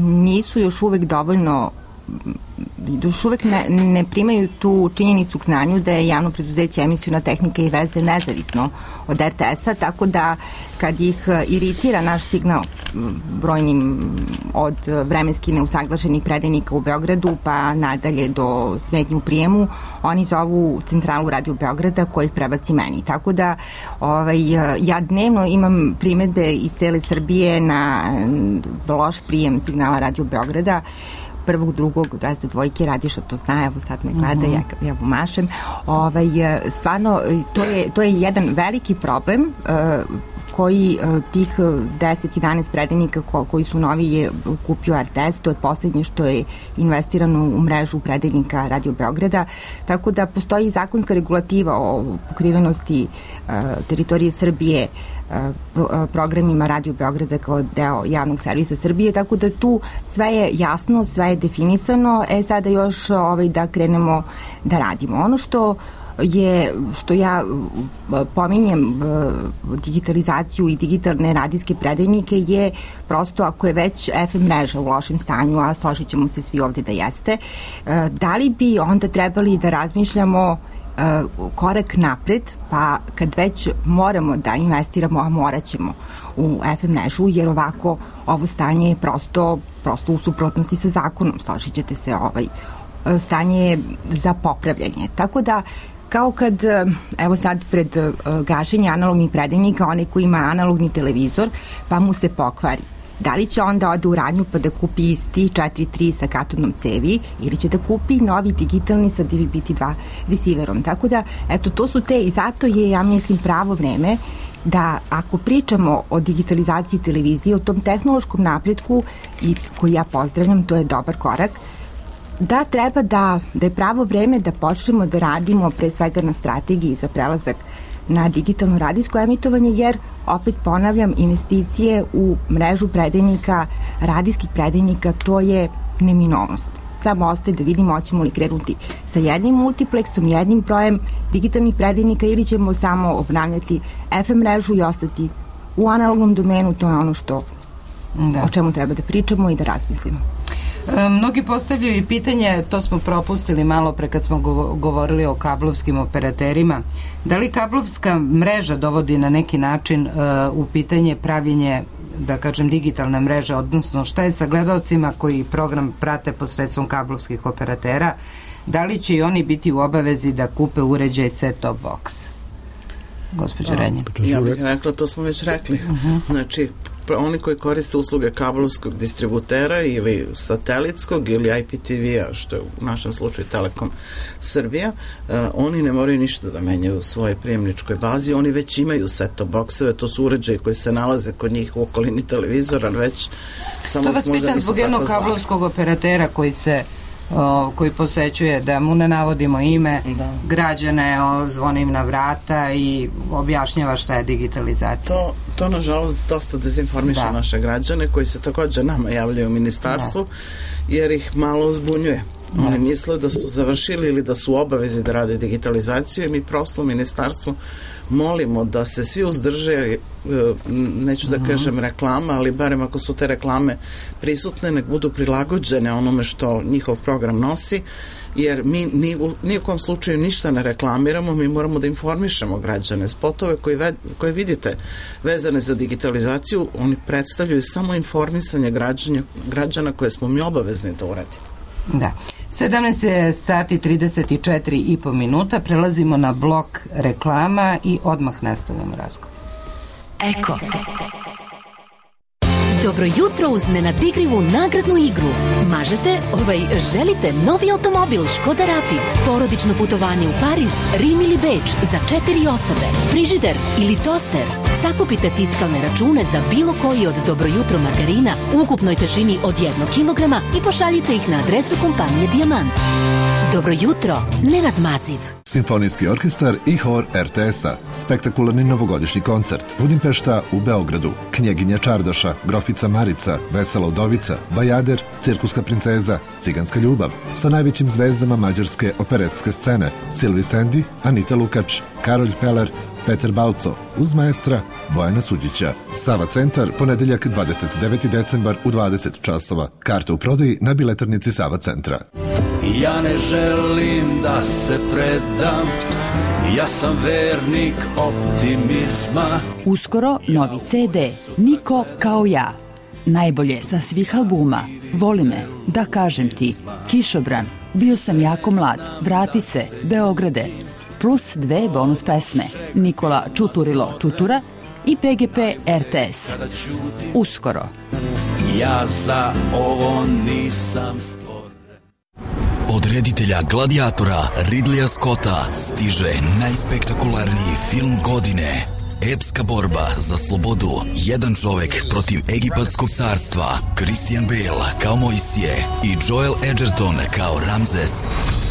nisu još uvek dovoljno još uvek ne, ne primaju tu činjenicu k znanju da je javno preduzeće Emisiona tehnika i veze nezavisno od er te es-a, tako da kad ih iritira naš signal brojnim od vremenski neusaglašenih predajnika u Beogradu pa nadalje do smetnje u prijemu, oni zovu centralu Radio Beograda koja ih prebaci meni. Tako da ovaj, ja dnevno imam primedbe iz cele Srbije na loš prijem signala Radio Beograda, prvog, drugog, razde dvojke, Radiša to zna, evo sad me gleda, ja, ja mu mašem. Ovaj, stvarno, to je, to je jedan veliki problem uh, koji uh, tih deset jedanaest predajnika ko, koji su novi je kupio er te es, to je poslednje što je investirano u mrežu predajnika Radio Beograda, tako da postoji zakonska regulativa o pokrivenosti uh, teritorije Srbije programima Radio Beograda kao deo javnog servisa Srbije, tako da tu sve je jasno, sve je definisano, e sada još ovaj, da krenemo da radimo. Ono što je, što ja pominjem digitalizaciju i digitalne radijske predajnike je prosto ako je već ef em mreža u lošem stanju, a složit ćemo se svi ovde da jeste, da li bi onda trebali da razmišljamo korak napred, pa kad već moramo da investiramo, a morat ćemo u ef em mrežu, jer ovako ovo stanje je prosto, prosto u suprotnosti sa zakonom, složit ćete se, ovaj, stanje je za popravljanje. Tako da, kao kad, evo sad pred gašenje analognih predajnika, onaj ko ima analogni televizor, pa mu se pokvari. Da li će onda ode u radnju pa da kupi isti četiri tri sa katodnom cevi ili će da kupi novi digitalni sa D V B T dva receiverom. Tako da, eto, to su te i zato je, ja mislim, pravo vreme da ako pričamo o digitalizaciji televizije, o tom tehnološkom napretku i koji ja pozdravljam, to je dobar korak, da treba da, da je pravo vreme da počnemo da radimo pre svega na strategiji za prelazak na digitalno radijsko emitovanje, jer, opet ponavljam, investicije u mrežu predajnika, radijskih predajnika, to je neminovnost. Samo ostaje da vidimo hoćemo li krenuti sa jednim multipleksom, jednim brojem digitalnih predajnika ili ćemo samo obnavljati ef em mrežu i ostati u analognom domenu, to je ono što, da. O čemu treba da pričamo i da razmislimo. Mnogi postavljaju i pitanje, to smo propustili malo pre kad smo govorili o kablovskim operaterima, da li kablovska mreža dovodi na neki način uh, u pitanje pravljenje, da kažem, digitalne mreže, odnosno šta je sa gledaocima koji program prate posredstvom kablovskih operatera, da li će i oni biti u obavezi da kupe uređaj set-top box? Gospođa Renjin. Ja bih rekla, to smo već rekli. Uh-huh. Znači, oni koji koriste usluge kablovskog distributera ili satelitskog ili I P T V-a, što je u našem slučaju Telekom Srbija, uh, oni ne moraju ništa da menjaju u svojoj prijemničkoj bazi, oni već imaju set-top bokseve, to su uređaji koji se nalaze kod njih u okolini televizora, već samo to vas pitan zbog jednog kablovskog operatera koji se O, koji posećuje, da mu ne navodimo ime, da. Građane, o, zvoni im na vrata i objašnjava šta je digitalizacija. To, to nažalost dosta dezinformiše da. Naše građane koji se također nama javljaju u ministarstvu, da. Jer ih malo zbunjuje. Da. Oni misle da su završili ili da su u obavezi da rade digitalizaciju i mi prosto u ministarstvu molimo da se svi uzdrže, neću da kažem reklama, ali barem ako su te reklame prisutne, nek budu prilagođene onome što njihov program nosi, jer mi ni u nijekom slučaju ništa ne reklamiramo, mi moramo da informišemo građane. Spotove koje, ve, koje vidite vezane za digitalizaciju, oni predstavljaju samo informisanje građana, građana koje smo mi obavezni da uradimo. Da. sedamnaest sati trideset četiri i po minuta, prelazimo na blok reklama i odmah nastavljamo razgovor. Eko. Dobro jutro uz nenadigrivu nagradnu igru. Mažete, ovaj, želite novi automobil Škoda Rapid, porodično putovanje u Pariz, Rim ili Beč za četiri osobe, frižider ili toster. Sakupite fiskalne račune za bilo koji od Dobro jutro margarina u ukupnoj težini od jednog kilograma i pošaljite ih na adresu kompanije Dijamant. Dobro jutro, Nenad Maziv. Simfonijski orkestar i hor er te es-a. Spektakularni novogodišnji koncert. Budimpešta u Beogradu. Knjeginja Čardaša, Grofica Marica, Vesela udovica, Bajader, Cirkuska princeza, Ciganska ljubav. Sa najvećim zvezdama mađarske operetske scene. Silvi Sendi, Anita Lukač, Karolj Pelar, Petar Balco, uz maestra Bojana Suđića. Sava centar, ponedeljak dvadeset deveti decembar u dvadeset časova. Karte u prodaji na biletarnici Sava centra. Ja ne želim da se predam, ja sam vernik optimizma. Uskoro novi ce de, Niko kao ja. Najbolje sa svih albuma. Voli me, da kažem ti, Kišobran, Bio sam jako mlad, Vrati se, Beograde, plus dve bonus pesme, Nikola Čuturilo Čutura i pe ge pe er te es. Uskoro. Ja za ovo nisam stvoren. Od reditelja Gladiatora Ridleya Scotta stiže najspektakularniji film godine. Epska borba za slobodu. Jedan čovek protiv Egipatskog carstva. Christian Bale kao Mojsije i Joel Edgerton kao Ramzes.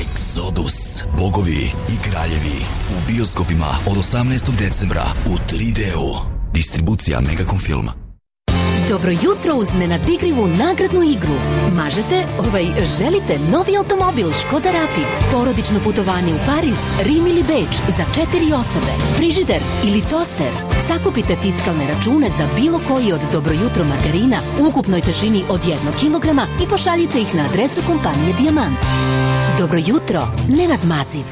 Exodus. Bogovi i kraljevi. U bioskopima od osamnaestog decembra u tri de-u. Distribucija Megacom filma. Dobro jutro uz nenadigrivu nagradnu igru. Mažete, ovaj, želite novi automobil Škoda Rapid, porodično putovanje u Pariz, Rim ili Beč za četiri osobe, frižider ili toster. Sakupite fiskalne račune za bilo koji od Dobro jutro margarina u ukupnoj težini od jednog kilograma i pošaljite ih na adresu kompanije Dijamant. Dobro jutro, Nenad Maziv.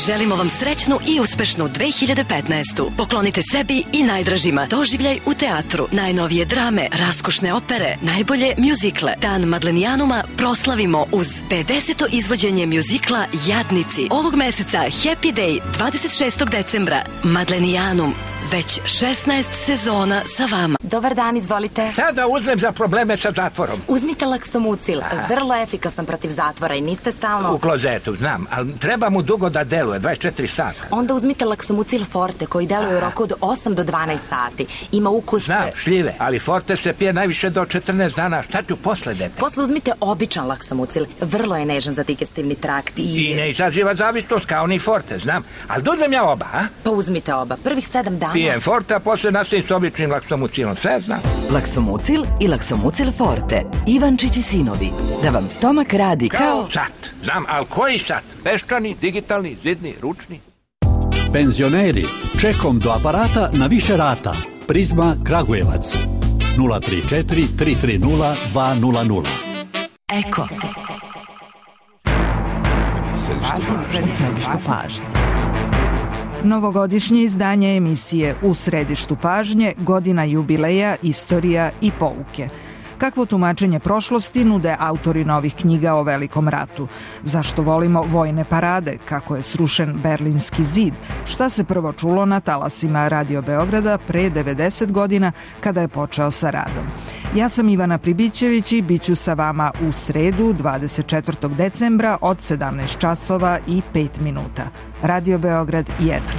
Želimo vam srećnu i uspešnu dve hiljade petnaestu. Poklonite sebi i najdražima doživljaj u teatru, najnovije drame, raskošne opere, najbolje mjuzikle. Dan Madlenijanuma proslavimo uz pedeseto izvođenje mjuzikla Jadnici. Ovog meseca Happy Day dvadeset šestog decembra. Madlenijanum. Već šesnaest sezona sa vama. Dobar dan, izvolite. Šta da uzmem za probleme sa zatvorom? Uzmite Laksomucil, vrlo efikasan protiv zatvora i niste stalno... U klozetu, znam, ali treba mu dugo da deluje, dvadeset četiri sata. Onda uzmite Laksomucil Forte koji deluje u roku od osam do dvanaest sati. Ima ukus... Znam, šljive, ali Forte se pije najviše do četrnaest dana. Šta ću posle, dete? Posle uzmite običan Laksomucil, vrlo je nežan za digestivni trakt i... I ne izaziva zavisnost kao ni Forte, znam. Ali da uzmem ja oba, a? Pa uzmite oba, prvih sedam dana... Pijem Forte, a posle nastavim s običnim Laksomucilom, sve znam. Laksomucil i Laksomucil Forte. Ivančić i sinovi. Da vam stomak radi kao... Kao sat. Znam, ali koji sat? Peščani, digitalni, zidni, ručni? Penzioneri, čekom do aparata na više rata. Prizma Kragujevac. nula tri četiri tri tri nula dva nula nula. Eko. Središtu pažnje. Novogodišnje izdanje emisije U središtu pažnje, godina jubileja, istorija i pouke. Kakvo tumačenje prošlosti nude autori novih knjiga o Velikom ratu? Zašto volimo vojne parade? Kako je srušen Berlinski zid? Šta se prvo čulo na talasima Radio Beograda pre devedeset godina kada je počeo sa radom? Ja sam Ivana Pribićević i bit ću sa vama u sredu dvadeset četvrtog decembra od sedamnaest časova i pet minuta. Radio Beograd jedan.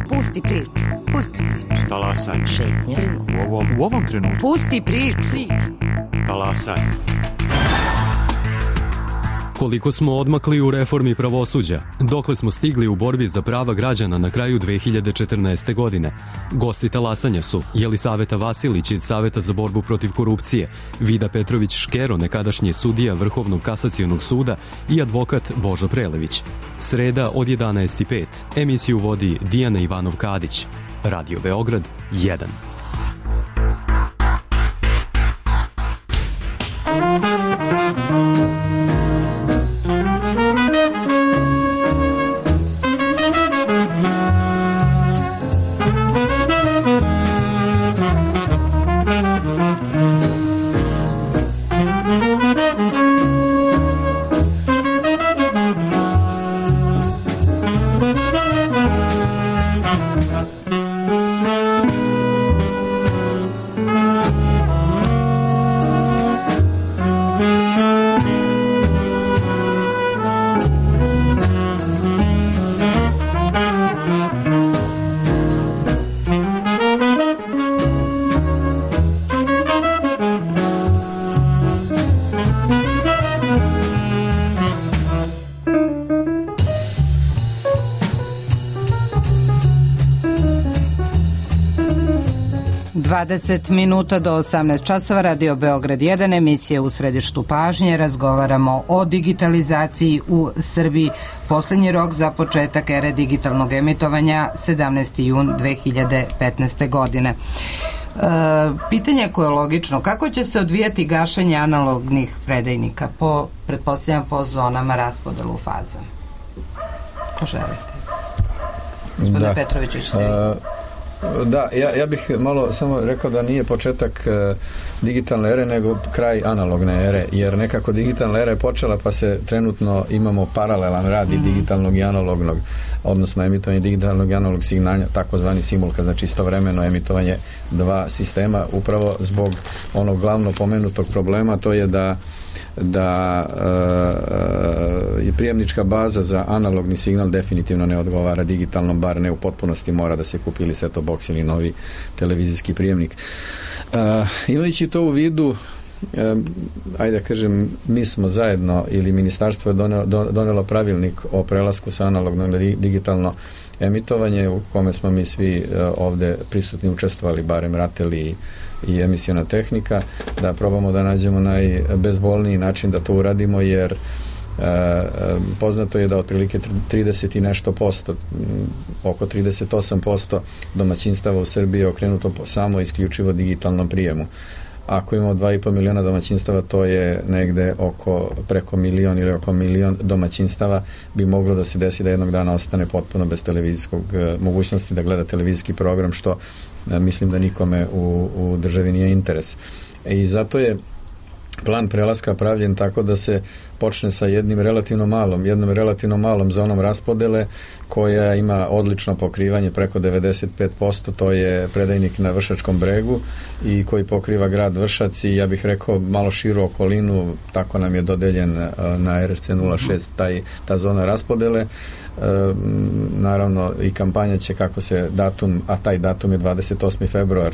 Pusti priču. Pusti priču. Talasanje. Šetnja. U ovom, u ovom trenutku. Pusti priču. Talasanje. Koliko smo odmakli u reformi pravosuđa, dokle smo stigli u borbi za prava građana na kraju dve hiljade četrnaeste. godine. Gosti talasanja su Jelisaveta Vasilić iz Saveta za borbu protiv korupcije, Vida Petrović Škero, nekadašnji sudija Vrhovnog kasacionog suda i advokat Božo Prelević. Sreda od jedanaest i pet. Emisiju vodi Dijana Ivanov-Kadić. Radio Beograd jedan. dvadeset minuta do osamnaest časova, Radio Beograd jedan, emisija U središtu pažnje. Razgovaramo o digitalizaciji u Srbiji. Poslednji rok za početak ere digitalnog emitovanja sedamnaesti jun dve hiljade petnaeste. godine. E, pitanje koje je logično, kako će se odvijati gašenje analognih predajnika? Po, pretpostavljam po zonama raspodelu faza. Ko želite? Gospodine da. Petroviću, ćete vi? Da, ja, ja bih malo samo rekao da nije početak e, digitalne ere, nego kraj analogne ere, jer nekako digitalna era je počela, pa se trenutno imamo paralelan rad i digitalnog i analognog, odnosno emitovanje digitalnog i analognog signala, takozvani simulka, znači istovremeno emitovanje dva sistema, upravo zbog onog glavno pomenutog problema, to je da da i e, prijemnička baza za analogni signal definitivno ne odgovara digitalnom, bar ne u potpunosti, mora da se kupi ili set-top box ili novi televizijski prijemnik. E, imajući to u vidu, e, ajde da kažem, mi smo zajedno ili ministarstvo je donelo, donelo pravilnik o prelasku sa analogno na digitalno emitovanje, u kome smo mi svi e, ovde prisutni učestvovali, barem RATEL i i emisiona tehnika, da probamo da nađemo najbezbolniji način da to uradimo, jer e, poznato je da otprilike trideset i nešto posto, oko trideset osam posto domaćinstava u Srbiji je okrenuto samo isključivo digitalnom prijemu. Ako imamo dva i po miliona domaćinstava, to je negde oko preko milion ili oko milion domaćinstava bi moglo da se desi da jednog dana ostane potpuno bez televizijskog mogućnosti da gleda televizijski program, što mislim da nikome u, u državi nije interes. I zato je plan prelaska pravljen tako da se počne sa jednim relativno malom, jednom relativno malom zonom raspodele koja ima odlično pokrivanje preko devedeset pet posto, to je predajnik na Vršačkom bregu i koji pokriva grad Vršac i ja bih rekao malo širu okolinu, tako nam je dodeljen na R R C nula šest taj, ta zona raspodele. E, naravno i kampanja će kako se datum, a taj datum je dvadeset osmi februar,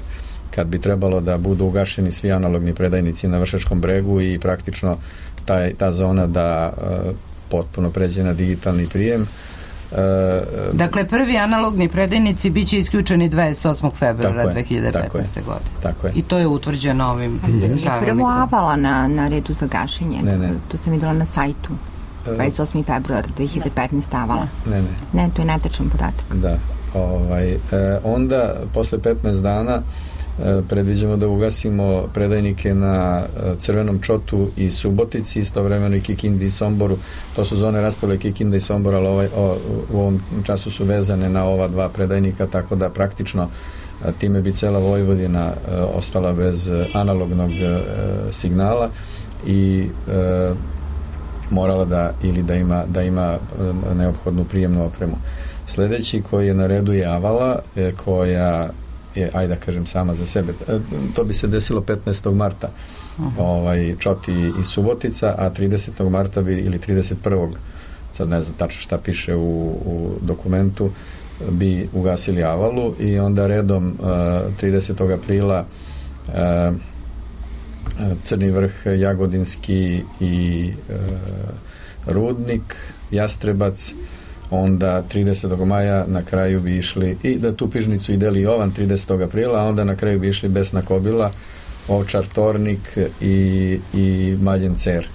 kad bi trebalo da budu ugašeni svi analogni predajnici na Vršačkom bregu i praktično taj, ta zona da e, potpuno pređe na digitalni prijem. E, dakle, prvi analogni predajnici bit će isključeni dvadeset osmog februara dve hiljade petnaeste. godine. Tako je. I to je utvrđeno ovim pravilnikom. Prvo Avala na, na redu za gašenje. Ne, ne. To sam videla na sajtu. dvadeset osmi februar dve hiljade petnaeste. Avala. Ne, ne. Ne, to je netačan podatak. Da. Ovaj, e, onda, posle petnaest dana, predviđamo da ugasimo predajnike na Crvenom Čotu i Subotici, istovremeno i Kikindi i Somboru. To su zone raspodele Kikinda i Sombora, ali ovaj, o, u ovom času su vezane na ova dva predajnika, tako da praktično time bi cela Vojvodina e, ostala bez analognog e, signala i e, morala da ili da ima, da ima neophodnu prijemnu opremu. Sledeći koji je na redu je Avala, e, koja je, ajde da kažem, sama za sebe. To bi se desilo petnaestog marta. Uh-huh. Ovaj, Čoti i Subotica, a tridesetog marta bi, ili trideset prvog sad ne znam tačno šta piše u, u dokumentu, bi ugasili Avalu i onda redom uh, tridesetog aprila uh, Crni Vrh, Jagodinski i uh, Rudnik, Jastrebac, onda tridesetog maja na kraju bi išli i da tu Pižnicu i Deli Jovan tridesetog aprila, a onda na kraju bi išli Besna Kobila, Ovčar Tornik i, i Maljen Cer.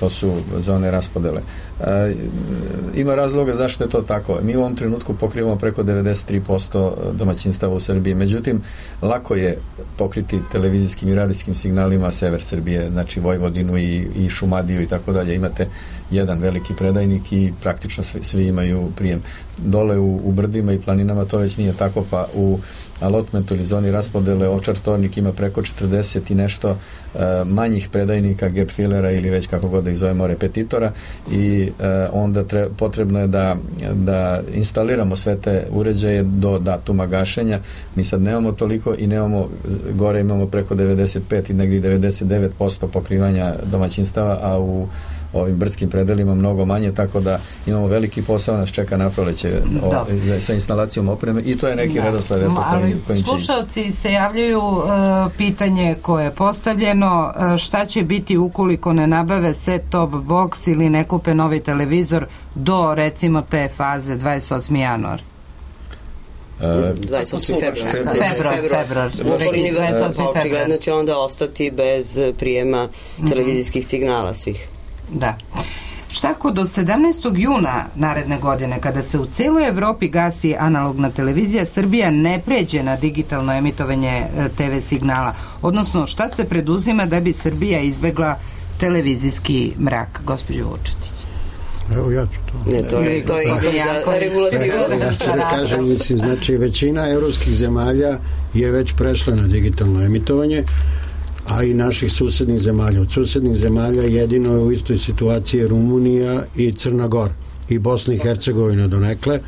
To su zone raspodele. E, ima razloga zašto je to tako. Mi u ovom trenutku pokrivamo preko devedeset tri posto domaćinstava u Srbiji. Međutim, lako je pokriti televizijskim i radijskim signalima sever Srbije, znači Vojvodinu i, i Šumadiju i tako dalje. Imate jedan veliki predajnik i praktično svi, svi imaju prijem. Dole u, u brdima i planinama to već nije tako, pa u allotmentu ili zoni raspodele Ovčar Tornik ima preko četrdeset i nešto uh, manjih predajnika, gap fillera ili već kako god da ih zovemo repetitora i uh, onda tre, potrebno je da, da instaliramo sve te uređaje do datuma gašenja. Mi sad nemamo toliko i nemamo, gore imamo preko devedeset pet i negdje devedeset devet posto pokrivanja domaćinstava, a u ovim brdskim predelima mnogo manje, tako da imamo veliki posao, nas čeka na proleće o, za, sa instalacijom opreme i to je neki redosled kojim, kojim će... Slušalci se javljaju, uh, pitanje koje je postavljeno, uh, šta će biti ukoliko ne nabave set-top box ili ne kupe novi televizor do recimo te faze dvadeset osmi januar? dvadeset osmi februar. Februar, februar. Očigledno će onda ostati bez prijema televizijskih signala svih. Da. Šta ako do sedamnaestog juna naredne godine, kada se u celoj Evropi gasi analogna televizija, Srbija ne pređe na digitalno emitovanje te ve signala? Odnosno, šta se preduzima da bi Srbija izbegla televizijski mrak, gospođo Vučetić? Evo ja ću to. Ne, to je, to je za regulativu. Ja ću da kažem, mislim, znači većina evropskih zemalja je već prešla na digitalno emitovanje, a i naših susednih zemalja. Od susednih zemalja jedino je u istoj situaciji Rumunija i Crna Gora i Bosna i Hercegovina donekle.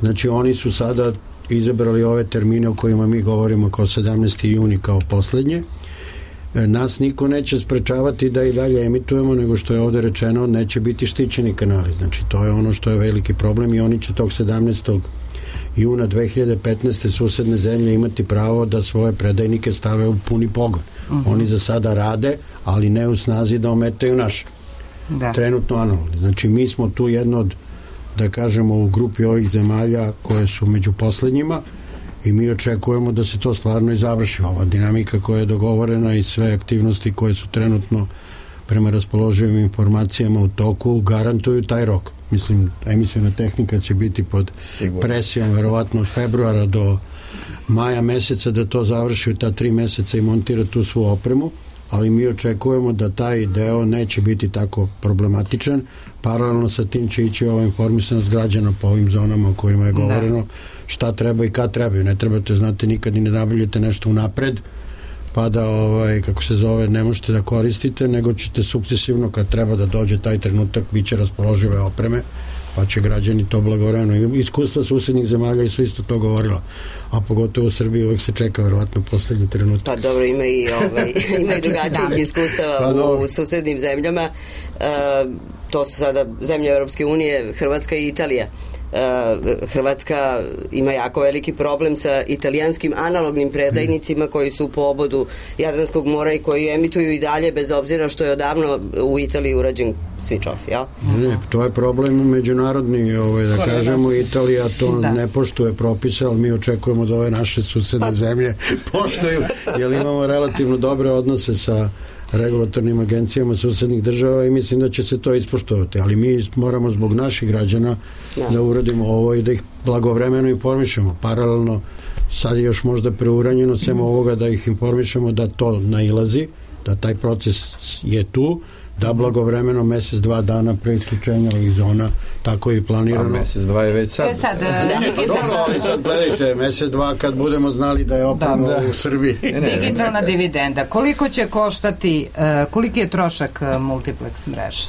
Znači oni su sada izabrali ove termine o kojima mi govorimo kao sedamnaesti juni kao poslednje. Nas niko neće sprečavati da i dalje emitujemo, nego što je ovde rečeno, neće biti štićeni kanali. Znači to je ono što je veliki problem i oni će tog sedamnaestog juna dve hiljade petnaeste susedne zemlje imati pravo da svoje predajnike stave u puni pogon. Uh-huh. Oni za sada rade, ali ne u snazi da ometaju naše. Da. Trenutno analogni. Znači mi smo tu jedno od, da kažemo, u grupi ovih zemalja koje su među poslednjima i mi očekujemo da se to stvarno i završi. Ova dinamika koja je dogovorena i sve aktivnosti koje su trenutno prema raspoloživim informacijama u toku garantuju taj rok. Mislim, emisiona tehnika će biti pod Sigur. presijom verovatno od februara do maja meseca da to završi u ta tri meseca i montira tu svu opremu, ali mi očekujemo da taj deo neće biti tako problematičan. Paralelno sa tim će ići ova informisanost građana po ovim zonama o kojima je govoreno, da. Šta treba i kad trebaju. Ne trebate, znate, nikad i ne nabavljate nešto unapred, pa da, ovaj, kako se zove, ne možete da koristite, nego ćete sukcesivno, kad treba da dođe taj trenutak, bit će raspoložive opreme, pa će građani to blagovremeno. Iskustva susednih zemalja i su isto to govorila, a pogotovo u Srbiji uvek se čeka verovatno poslednji trenutak. Pa dobro, ima i, ovaj, ima i drugačijih iskustava pa, u, u susednim zemljama. E, to su sada zemlje Europske unije, Hrvatska i Italija. Hrvatska ima jako veliki problem sa italijanskim analognim predajnicima koji su po obodu Jadranskog mora i koji emituju i dalje bez obzira što je odavno u Italiji urađen switch off, jel? Ne, to je problem međunarodni, ovaj, da kažemo, Italija to da. ne poštuje propise, ali mi očekujemo da ove naše susedne zemlje poštuju, jer imamo relativno dobre odnose sa regulatornim agencijama susednih država i mislim da će se to ispoštovati, ali mi moramo zbog naših građana da, da uradimo ovo i da ih blagovremeno informišemo. Paralelno sad je još možda preuranjeno sem mm. ovoga da ih informišemo da to nailazi, da taj proces je tu, da blagovremeno mesec, dva dana pre isključenja ovih zona, tako je i planirano. A mesec, dva je već sad. E sad, da, ne, dobro, ali sad gledajte, mesec, dva kad budemo znali da je opravo da, da. u Srbiji. Digitalna dividenda. Koliko će koštati, uh, koliki je trošak uh, multiplex mreže?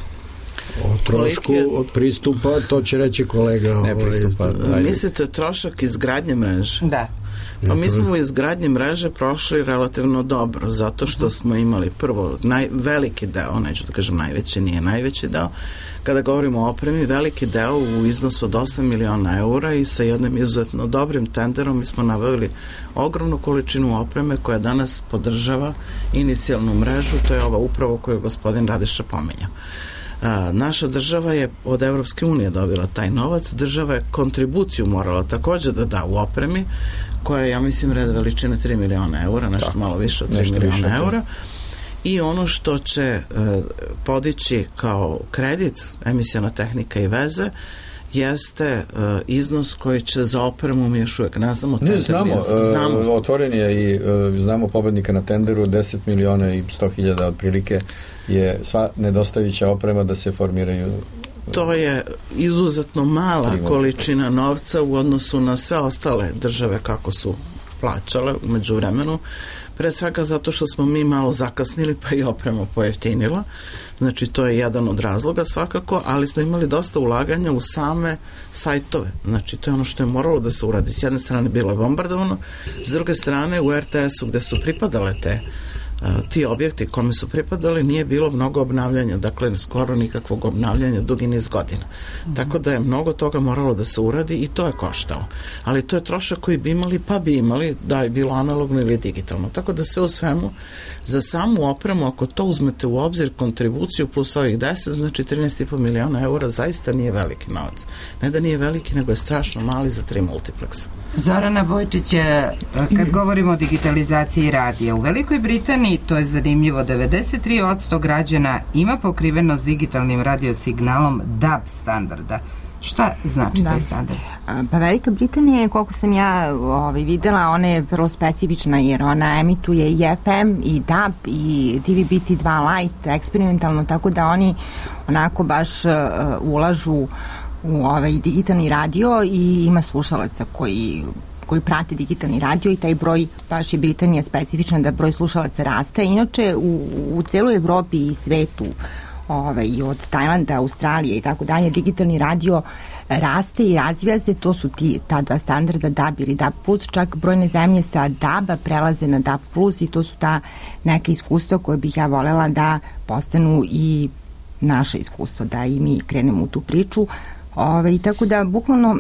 O trošku od pristupa, to će reći kolega. Ne pristupa. Ovaj, mislite trošak izgradnje mreže? Da. Pa mi smo u izgradnji mreže prošli relativno dobro, zato što smo imali prvo naj, veliki deo, neću da kažem najveći, nije najveći deo, kada govorimo o opremi, veliki deo u iznosu od osam miliona eura i sa jednim izuzetno dobrim tenderom mi smo nabavili ogromnu količinu opreme koja danas podržava inicijalnu mrežu, to je ova upravo koju je gospodin Radiša pomenjao. A, naša država je od Evropske unije dobila taj novac, država je kontribuciju morala takođe da da u opremi, koja je, ja mislim, red veličine tri miliona eura, nešto da. malo više od tri miliona eura. I ono što će e, podići kao kredit, emisiona tehnika i veze, jeste e, iznos koji će za opremu mi još uvek ne znamo. Ne, znamo, e, znamo. Otvoren je i e, znamo pobednika na tenderu, deset miliona i sto hiljada otprilike je sva nedostajuća oprema da se formiraju. To je izuzetno mala količina novca u odnosu na sve ostale države kako su plaćale umeđu vremenu. Pre svega zato što smo mi malo zakasnili pa i oprema pojeftinila. Znači to je jedan od razloga svakako, ali smo imali dosta ulaganja u same sajtove. Znači to je ono što je moralo da se uradi. S jedne strane bilo je bombardovano, s druge strane u er te esu gde su pripadale te ti objekti kome su pripadali nije bilo mnogo obnavljanja, dakle skoro nikakvog obnavljanja dugi niz godina. Mm-hmm. Tako da je mnogo toga moralo da se uradi i to je koštalo. Ali to je trošak koji bi imali, pa bi imali da je bilo analogno ili digitalno. Tako da sve u svemu za samu opremu, ako to uzmete u obzir, kontribuciju plus ovih deset, znači trinaest i po miliona eura, zaista nije veliki novac. Ne da nije veliki, nego je strašno mali za tri multipleksa. Zorana Bojčić, kad govorimo o digitalizaciji radija, u Velikoj Britaniji, to je zanimljivo, devedeset tri posto građana ima pokrivenost digitalnim radiosignalom D A B standarda. Šta znači da. taj standard? Pa Velika Britanija je, koliko sam ja ovaj, videla, ona je vrlo specifična jer ona emituje i F M i D A B i D V B T dva Lite eksperimentalno, tako da oni onako baš uh, ulažu u ovaj digitalni radio i ima slušalaca koji koji prate digitalni radio i taj broj, baš je Britanija specifična da broj slušalaca raste. Inače, u, u celoj Evropi i svetu, ovaj, od Tajlanda, Australije i tako dalje, digitalni radio raste i razvija se, to su ti, ta dva standarda D A B ili D A B plus, čak brojne zemlje sa D A B-a prelaze na D A B plus i to su ta neka iskustva koje bih ja volela da postanu i naše iskustva, da i mi krenemo u tu priču. Ove, tako da bukvalno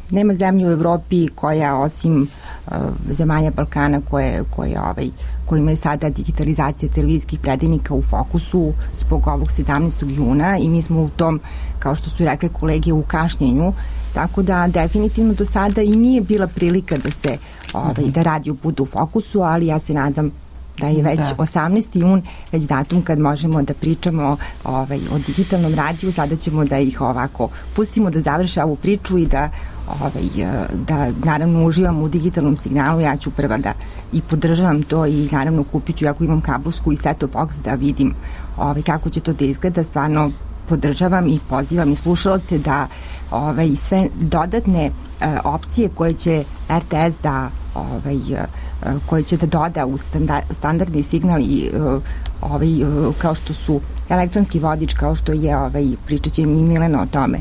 nema zemlje u Evropi koja osim uh, zemalja Balkana koje, koje, ovaj, kojima je sada digitalizacija televizijskih predajnika u fokusu zbog ovog sedamnaestog juna i mi smo u tom, kao što su rekle kolege, u kašnjenju, tako da definitivno do sada i nije bila prilika da se ovaj, da radio bude u fokusu, ali ja se nadam da je već da. osamnaesti jun već datum kad možemo da pričamo ovaj, o digitalnom radiju, sada ćemo da ih ovako pustimo da završe ovu priču i da, ovaj, da naravno uživamo u digitalnom signalu. Ja ću prva da i podržavam to i naravno kupit ću, ako imam kablovsku i set-top box, da vidim ovaj, kako će to da izgleda. Stvarno podržavam i pozivam i slušalce da ovaj, sve dodatne e, opcije koje će R T S da ovaj, koje će da doda u standardni signal i ovaj, kao što su elektronski vodič, kao što je, ovaj, pričat će mi Milena o tome,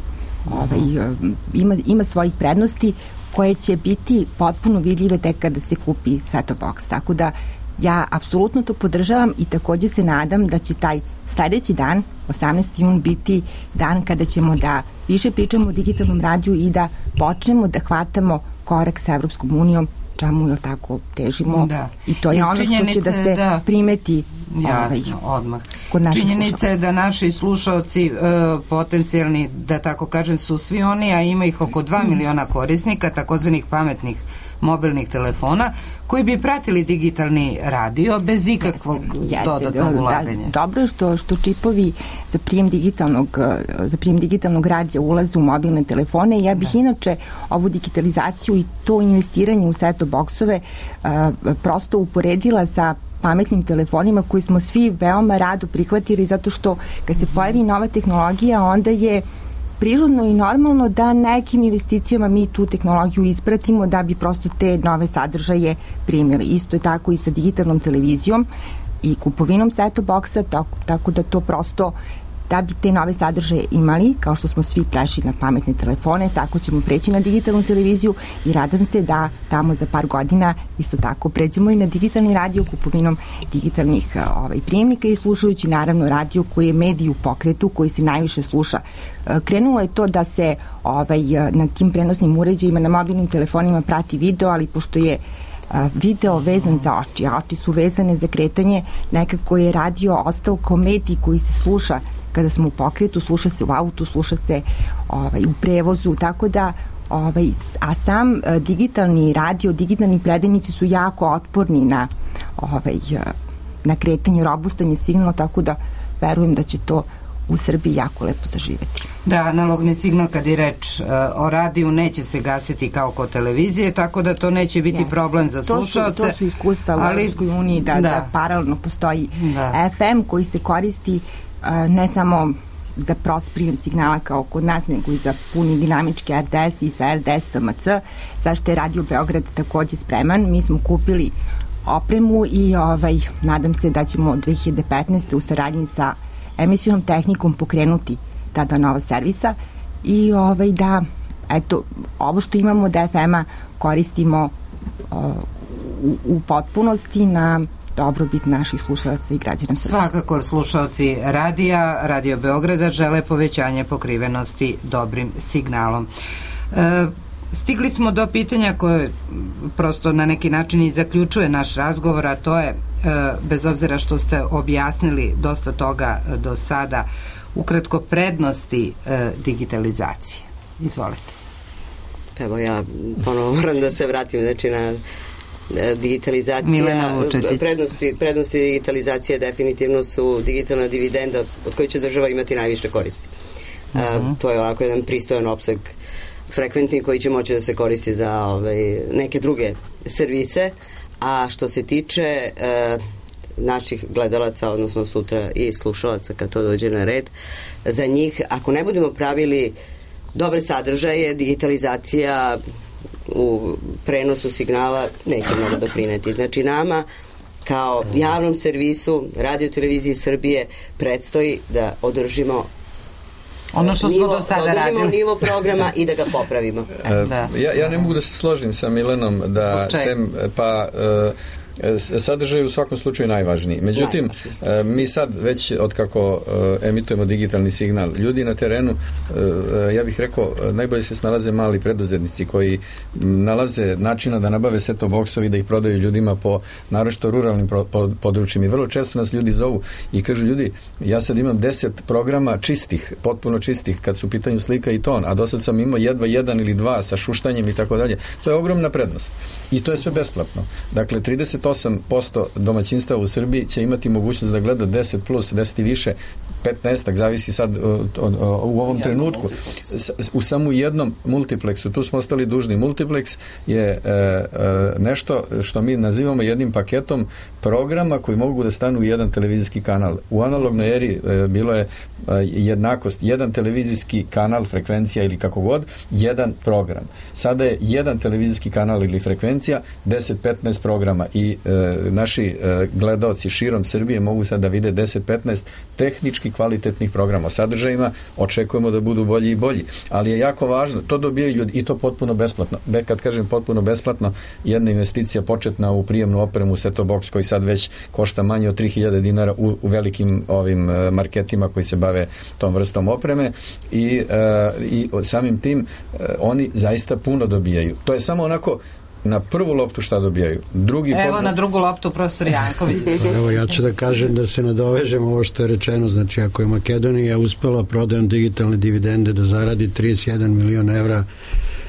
ovaj, ima, ima svojih prednosti koje će biti potpuno vidljive tek kada se kupi set-top box. Tako da ja apsolutno to podržavam i takođe se nadam da će taj sledeći dan, osamnaesti jun, biti dan kada ćemo da više pričamo o digitalnom radiju i da počnemo da hvatamo korak sa Evropskom unijom, čemu je tako težimo, da. I to je I ono što će da se da, primeti jasno, ovaj, odmah. Kod naših činjenica je da naši slušalci uh, potencijalni, da tako kažem, su svi oni, a ima ih oko dva miliona korisnika takozvanih pametnih mobilnih telefona koji bi pratili digitalni radio bez ikakvog jeste, dodatnog da, ulaganja. Da, dobro je što, što čipovi za prijem digitalnog, za prijem digitalnog radija ulaze u mobilne telefone. Ja bih da. inače ovu digitalizaciju i to investiranje u set-top boksove uh, prosto uporedila sa pametnim telefonima koji smo svi veoma rado prihvatili, zato što kad se pojavi nova tehnologija, onda je prirodno i normalno da nekim investicijama mi tu tehnologiju ispratimo da bi prosto te nove sadržaje primili. Isto je tako i sa digitalnom televizijom i kupovinom set-top boksa, tako, tako da to prosto, da bi te nove sadržaje imali, kao što smo svi prešli na pametne telefone, tako ćemo preći na digitalnu televiziju i radam se da tamo za par godina isto tako pređemo i na digitalni radio kupovinom digitalnih ovaj, prijemnika i slušajući naravno radio koji je medij u pokretu, koji se najviše sluša. Krenulo je to da se ovaj, na tim prenosnim uređajima, na mobilnim telefonima prati video, ali pošto je video vezan za oči, a oči su vezane za kretanje, nekako je radio ostao kao medij koji se sluša kada smo u pokretu, sluša se u autu, sluša se ovaj, u prevozu, tako da ovaj, a sam uh, digitalni radio, digitalni predajnici su jako otporni na ovaj, uh, na kretanje, robustanje signala, tako da verujem da će to u Srbiji jako lepo zaživeti. Da, analogni signal kad je reč uh, o radiju neće se gasiti kao kod televizije, tako da to neće biti yes. problem za slušalce. To su, to su iskustva u ali, Evropskoj uniji da, da. da paralelno postoji da. F M koji se koristi uh, ne samo za prost prijem signala kao kod nas, nego i za puni dinamički R D S i sa R D S T M C, zašto je Radio Beograd takođe spreman. Mi smo kupili opremu i ovaj, nadam se da ćemo dve hiljade petnaeste u saradnji sa emisijonom tehnikom pokrenuti ta dva nova servisa i ovaj, da eto, ovo što imamo od F M-a koristimo uh, u, u potpunosti na dobrobit naših slušalaca i građana. Svakako slušalci radija, Radio Beograda žele povećanje pokrivenosti dobrim signalom. E, stigli smo do pitanja koje prosto na neki način i zaključuje naš razgovor, a to je, e, bez obzira što ste objasnili dosta toga do sada, ukratko prednosti e, digitalizacije. Izvolite. Evo ja ponovo moram da se vratim znači na digitalizacija, prednosti, prednosti digitalizacije definitivno su digitalna dividenda od koje će država imati najviše koristi. Uh -huh. To je onako jedan pristojan opseg frekventni koji će moći da se koristi za ovaj, neke druge servise, a što se tiče uh, naših gledalaca, odnosno sutra i slušalaca kad to dođe na red, za njih, ako ne budemo pravili dobre sadržaje, digitalizacija u prenosu signala neće mnogo doprineti. Znači nama kao javnom servisu Radio televizije Srbije predstoji da održimo ono što nivo, smo do sada da održimo radili. nivo programa i da ga popravimo. Da. Ja, ja ne mogu da se složim sa Milenom da sem pa uh, sadržaj je u svakom slučaju najvažniji. Međutim, mi sad već otkako emitujemo digitalni signal, ljudi na terenu, ja bih rekao, najbolje se snalaze mali preduzetnici koji nalaze načina da nabave set-top boksovi, da ih prodaju ljudima po naročito ruralnim područjima. I vrlo često nas ljudi zovu i kažu, ljudi, ja sad imam deset programa čistih, potpuno čistih, kad su u pitanju slika i ton, a do sad sam imao jedva jedan ili dva sa šuštanjem i tako dalje. To je ogromna prednost. I to je sve besplatno. Dakle, trideset osam posto domaćinstava u Srbiji će imati mogućnost da gleda deset plus, deset i više, petnaest, zavisi sad od, od, od, u ovom trenutku. U samo jednom multiplexu, tu smo ostali dužni. Multiplex je e, e, nešto što mi nazivamo jednim paketom programa koji mogu da stanu u jedan televizijski kanal. U analognoj eri e, bilo je e, jednakost, jedan televizijski kanal, frekvencija ili kako god, jedan program. Sada je jedan televizijski kanal ili frekvencija, deset petnaest programa i e, naši e, gledaoci širom Srbije mogu sad da vide deset petnaest tehnički kvalitetnih programa o sadržajima, očekujemo da budu bolji i bolji, ali je jako važno, to dobijaju ljudi i to potpuno besplatno. Be, kad kažem potpuno besplatno, jedna investicija početna u prijemnu opremu set-top box koji sad već košta manje od tri hiljade dinara u, u velikim ovim uh, marketima koji se bave tom vrstom opreme i, uh, i samim tim uh, oni zaista puno dobijaju. To je samo onako na prvu loptu šta dobijaju. Drugi Evo pozna... na drugu loptu profesor Janković. Evo ja ću da kažem da se nadovežem ovo što je rečeno, znači ako je Makedonija uspela prodajom digitalne dividende da zaradi trideset jedan milion evra,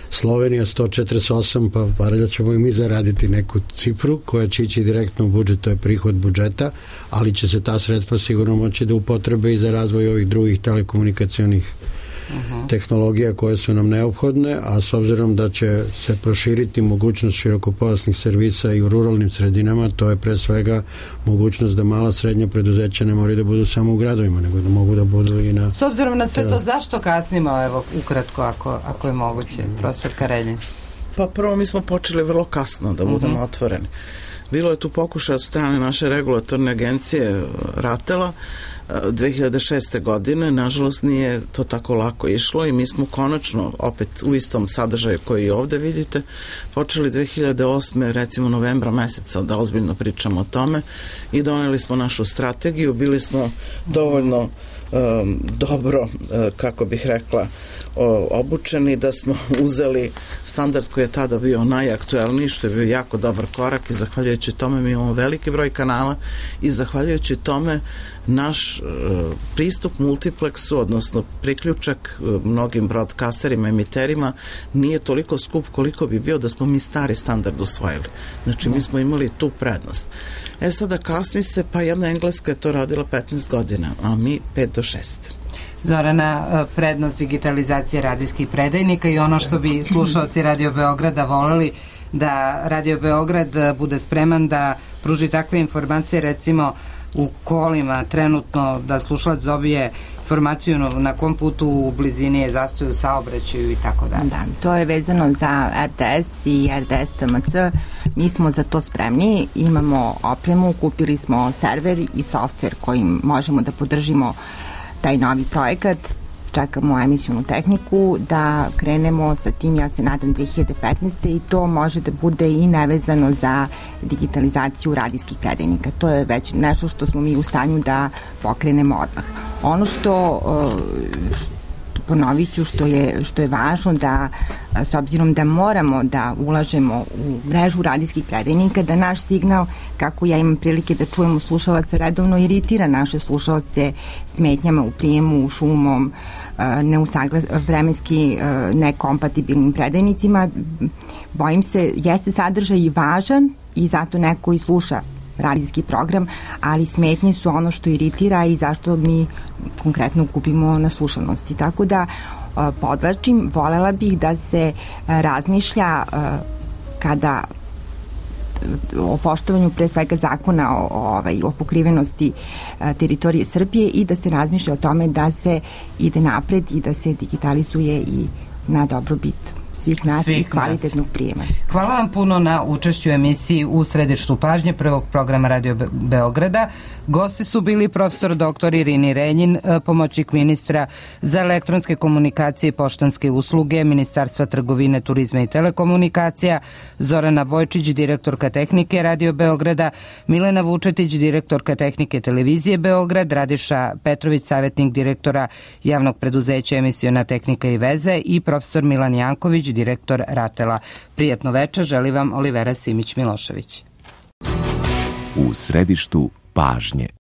Slovenija sto četrdeset osam, pa valjda ćemo i mi zaraditi neku cifru koja će ići direktno u budžet, to je prihod budžeta, ali će se ta sredstva sigurno moći da upotrebe i za razvoj ovih drugih telekomunikacionih Uh-huh. tehnologija koje su nam neophodne, a s obzirom da će se proširiti mogućnost širokopojasnih servisa i u ruralnim sredinama, to je pre svega mogućnost da mala srednja preduzeća ne moraju da budu samo u gradovima, nego da mogu da budu i na... S obzirom na sve to, zašto kasnimo, evo, ukratko, ako, ako je moguće, profesor Kareljin? Pa prvo, mi smo počeli vrlo kasno, da budemo uh-huh. otvoreni. Bilo je tu pokušaj od strane naše regulatorne agencije Ratela dve hiljade šeste. godine, nažalost nije to tako lako išlo i mi smo konačno opet u istom sadržaju koji i ovde vidite počeli dve hiljade osme. recimo novembra meseca da ozbiljno pričamo o tome i doneli smo našu strategiju, bili smo dovoljno um, dobro, uh, kako bih rekla, o, obučeni da smo uzeli standard koji je tada bio najaktuelniji, što je bio jako dobar korak i zahvaljujući tome mi imamo veliki broj kanala i zahvaljujući tome naš uh, pristup multiplexu, odnosno priključak uh, mnogim broadcasterima, emiterima nije toliko skup koliko bi bio da smo mi stari standard usvojili. Znači mi smo imali tu prednost. E sada kasni se, pa jedna Engleska je to radila petnaest godina, a mi pet do šest. Zorana, prednost digitalizacije radijskih predajnika i ono što bi slušaoci Radio Beograda voleli da Radio Beograd bude spreman da pruži takve informacije, recimo u kolima trenutno, da slušalac dobije informaciju na kom putu u blizini je zastoj u saobraćaju i tako dalje. Da, to je vezano za R T S i R T S T M C. Mi smo za to spremni, imamo opremu, kupili smo server i softver kojim možemo da podržimo taj novi projekat. čekamo emisionu tehniku, da krenemo sa tim, ja se nadam, dve hiljade petnaeste. i to može da bude i nevezano za digitalizaciju radijskih predajnika. To je već nešto što smo mi u stanju da pokrenemo odmah. Ono što, što ponovit ću, što je, što je važno da, s obzirom da moramo da ulažemo u mrežu radijskih predajnika, da naš signal, kako ja imam prilike da čujemo slušalaca, redovno iritira naše slušalce smetnjama u prijemu, šumom, neusaglas, vremenski nekompatibilnim predajnicima. Bojim se, jeste sadržaj i važan i zato neko i sluša radijski program, ali smetnje su ono što iritira i zašto mi konkretno gubimo na slušanosti. Tako da podlačim, volela bih da se razmišlja kada o poštovanju pre svega zakona o, o, o pokrivenosti a, teritorije Srbije i da se razmišlja o tome da se ide napred i da se digitalizuje i na dobrobit svih nas svih i kvalitetnog nas. Prijema. Hvala vam puno na učešću emisiji U središtu pažnje prvog programa Radio Be- Beograda. Gosti su bili profesor doktor Irini Renjin, pomoćnik ministra za elektronske komunikacije i poštanske usluge Ministarstva trgovine, turizma i telekomunikacija, Zorana Bojčić, direktorka tehnike Radio Beograda, Milena Vučetić, direktorka tehnike televizije Beograd, Radiša Petrović, savjetnik direktora javnog preduzeća Emisiona tehnika i veze i profesor Milan Janković, direktor Ratela. Prijatno večer, želi vam Olivera Simić Milošević. U središtu pažnje.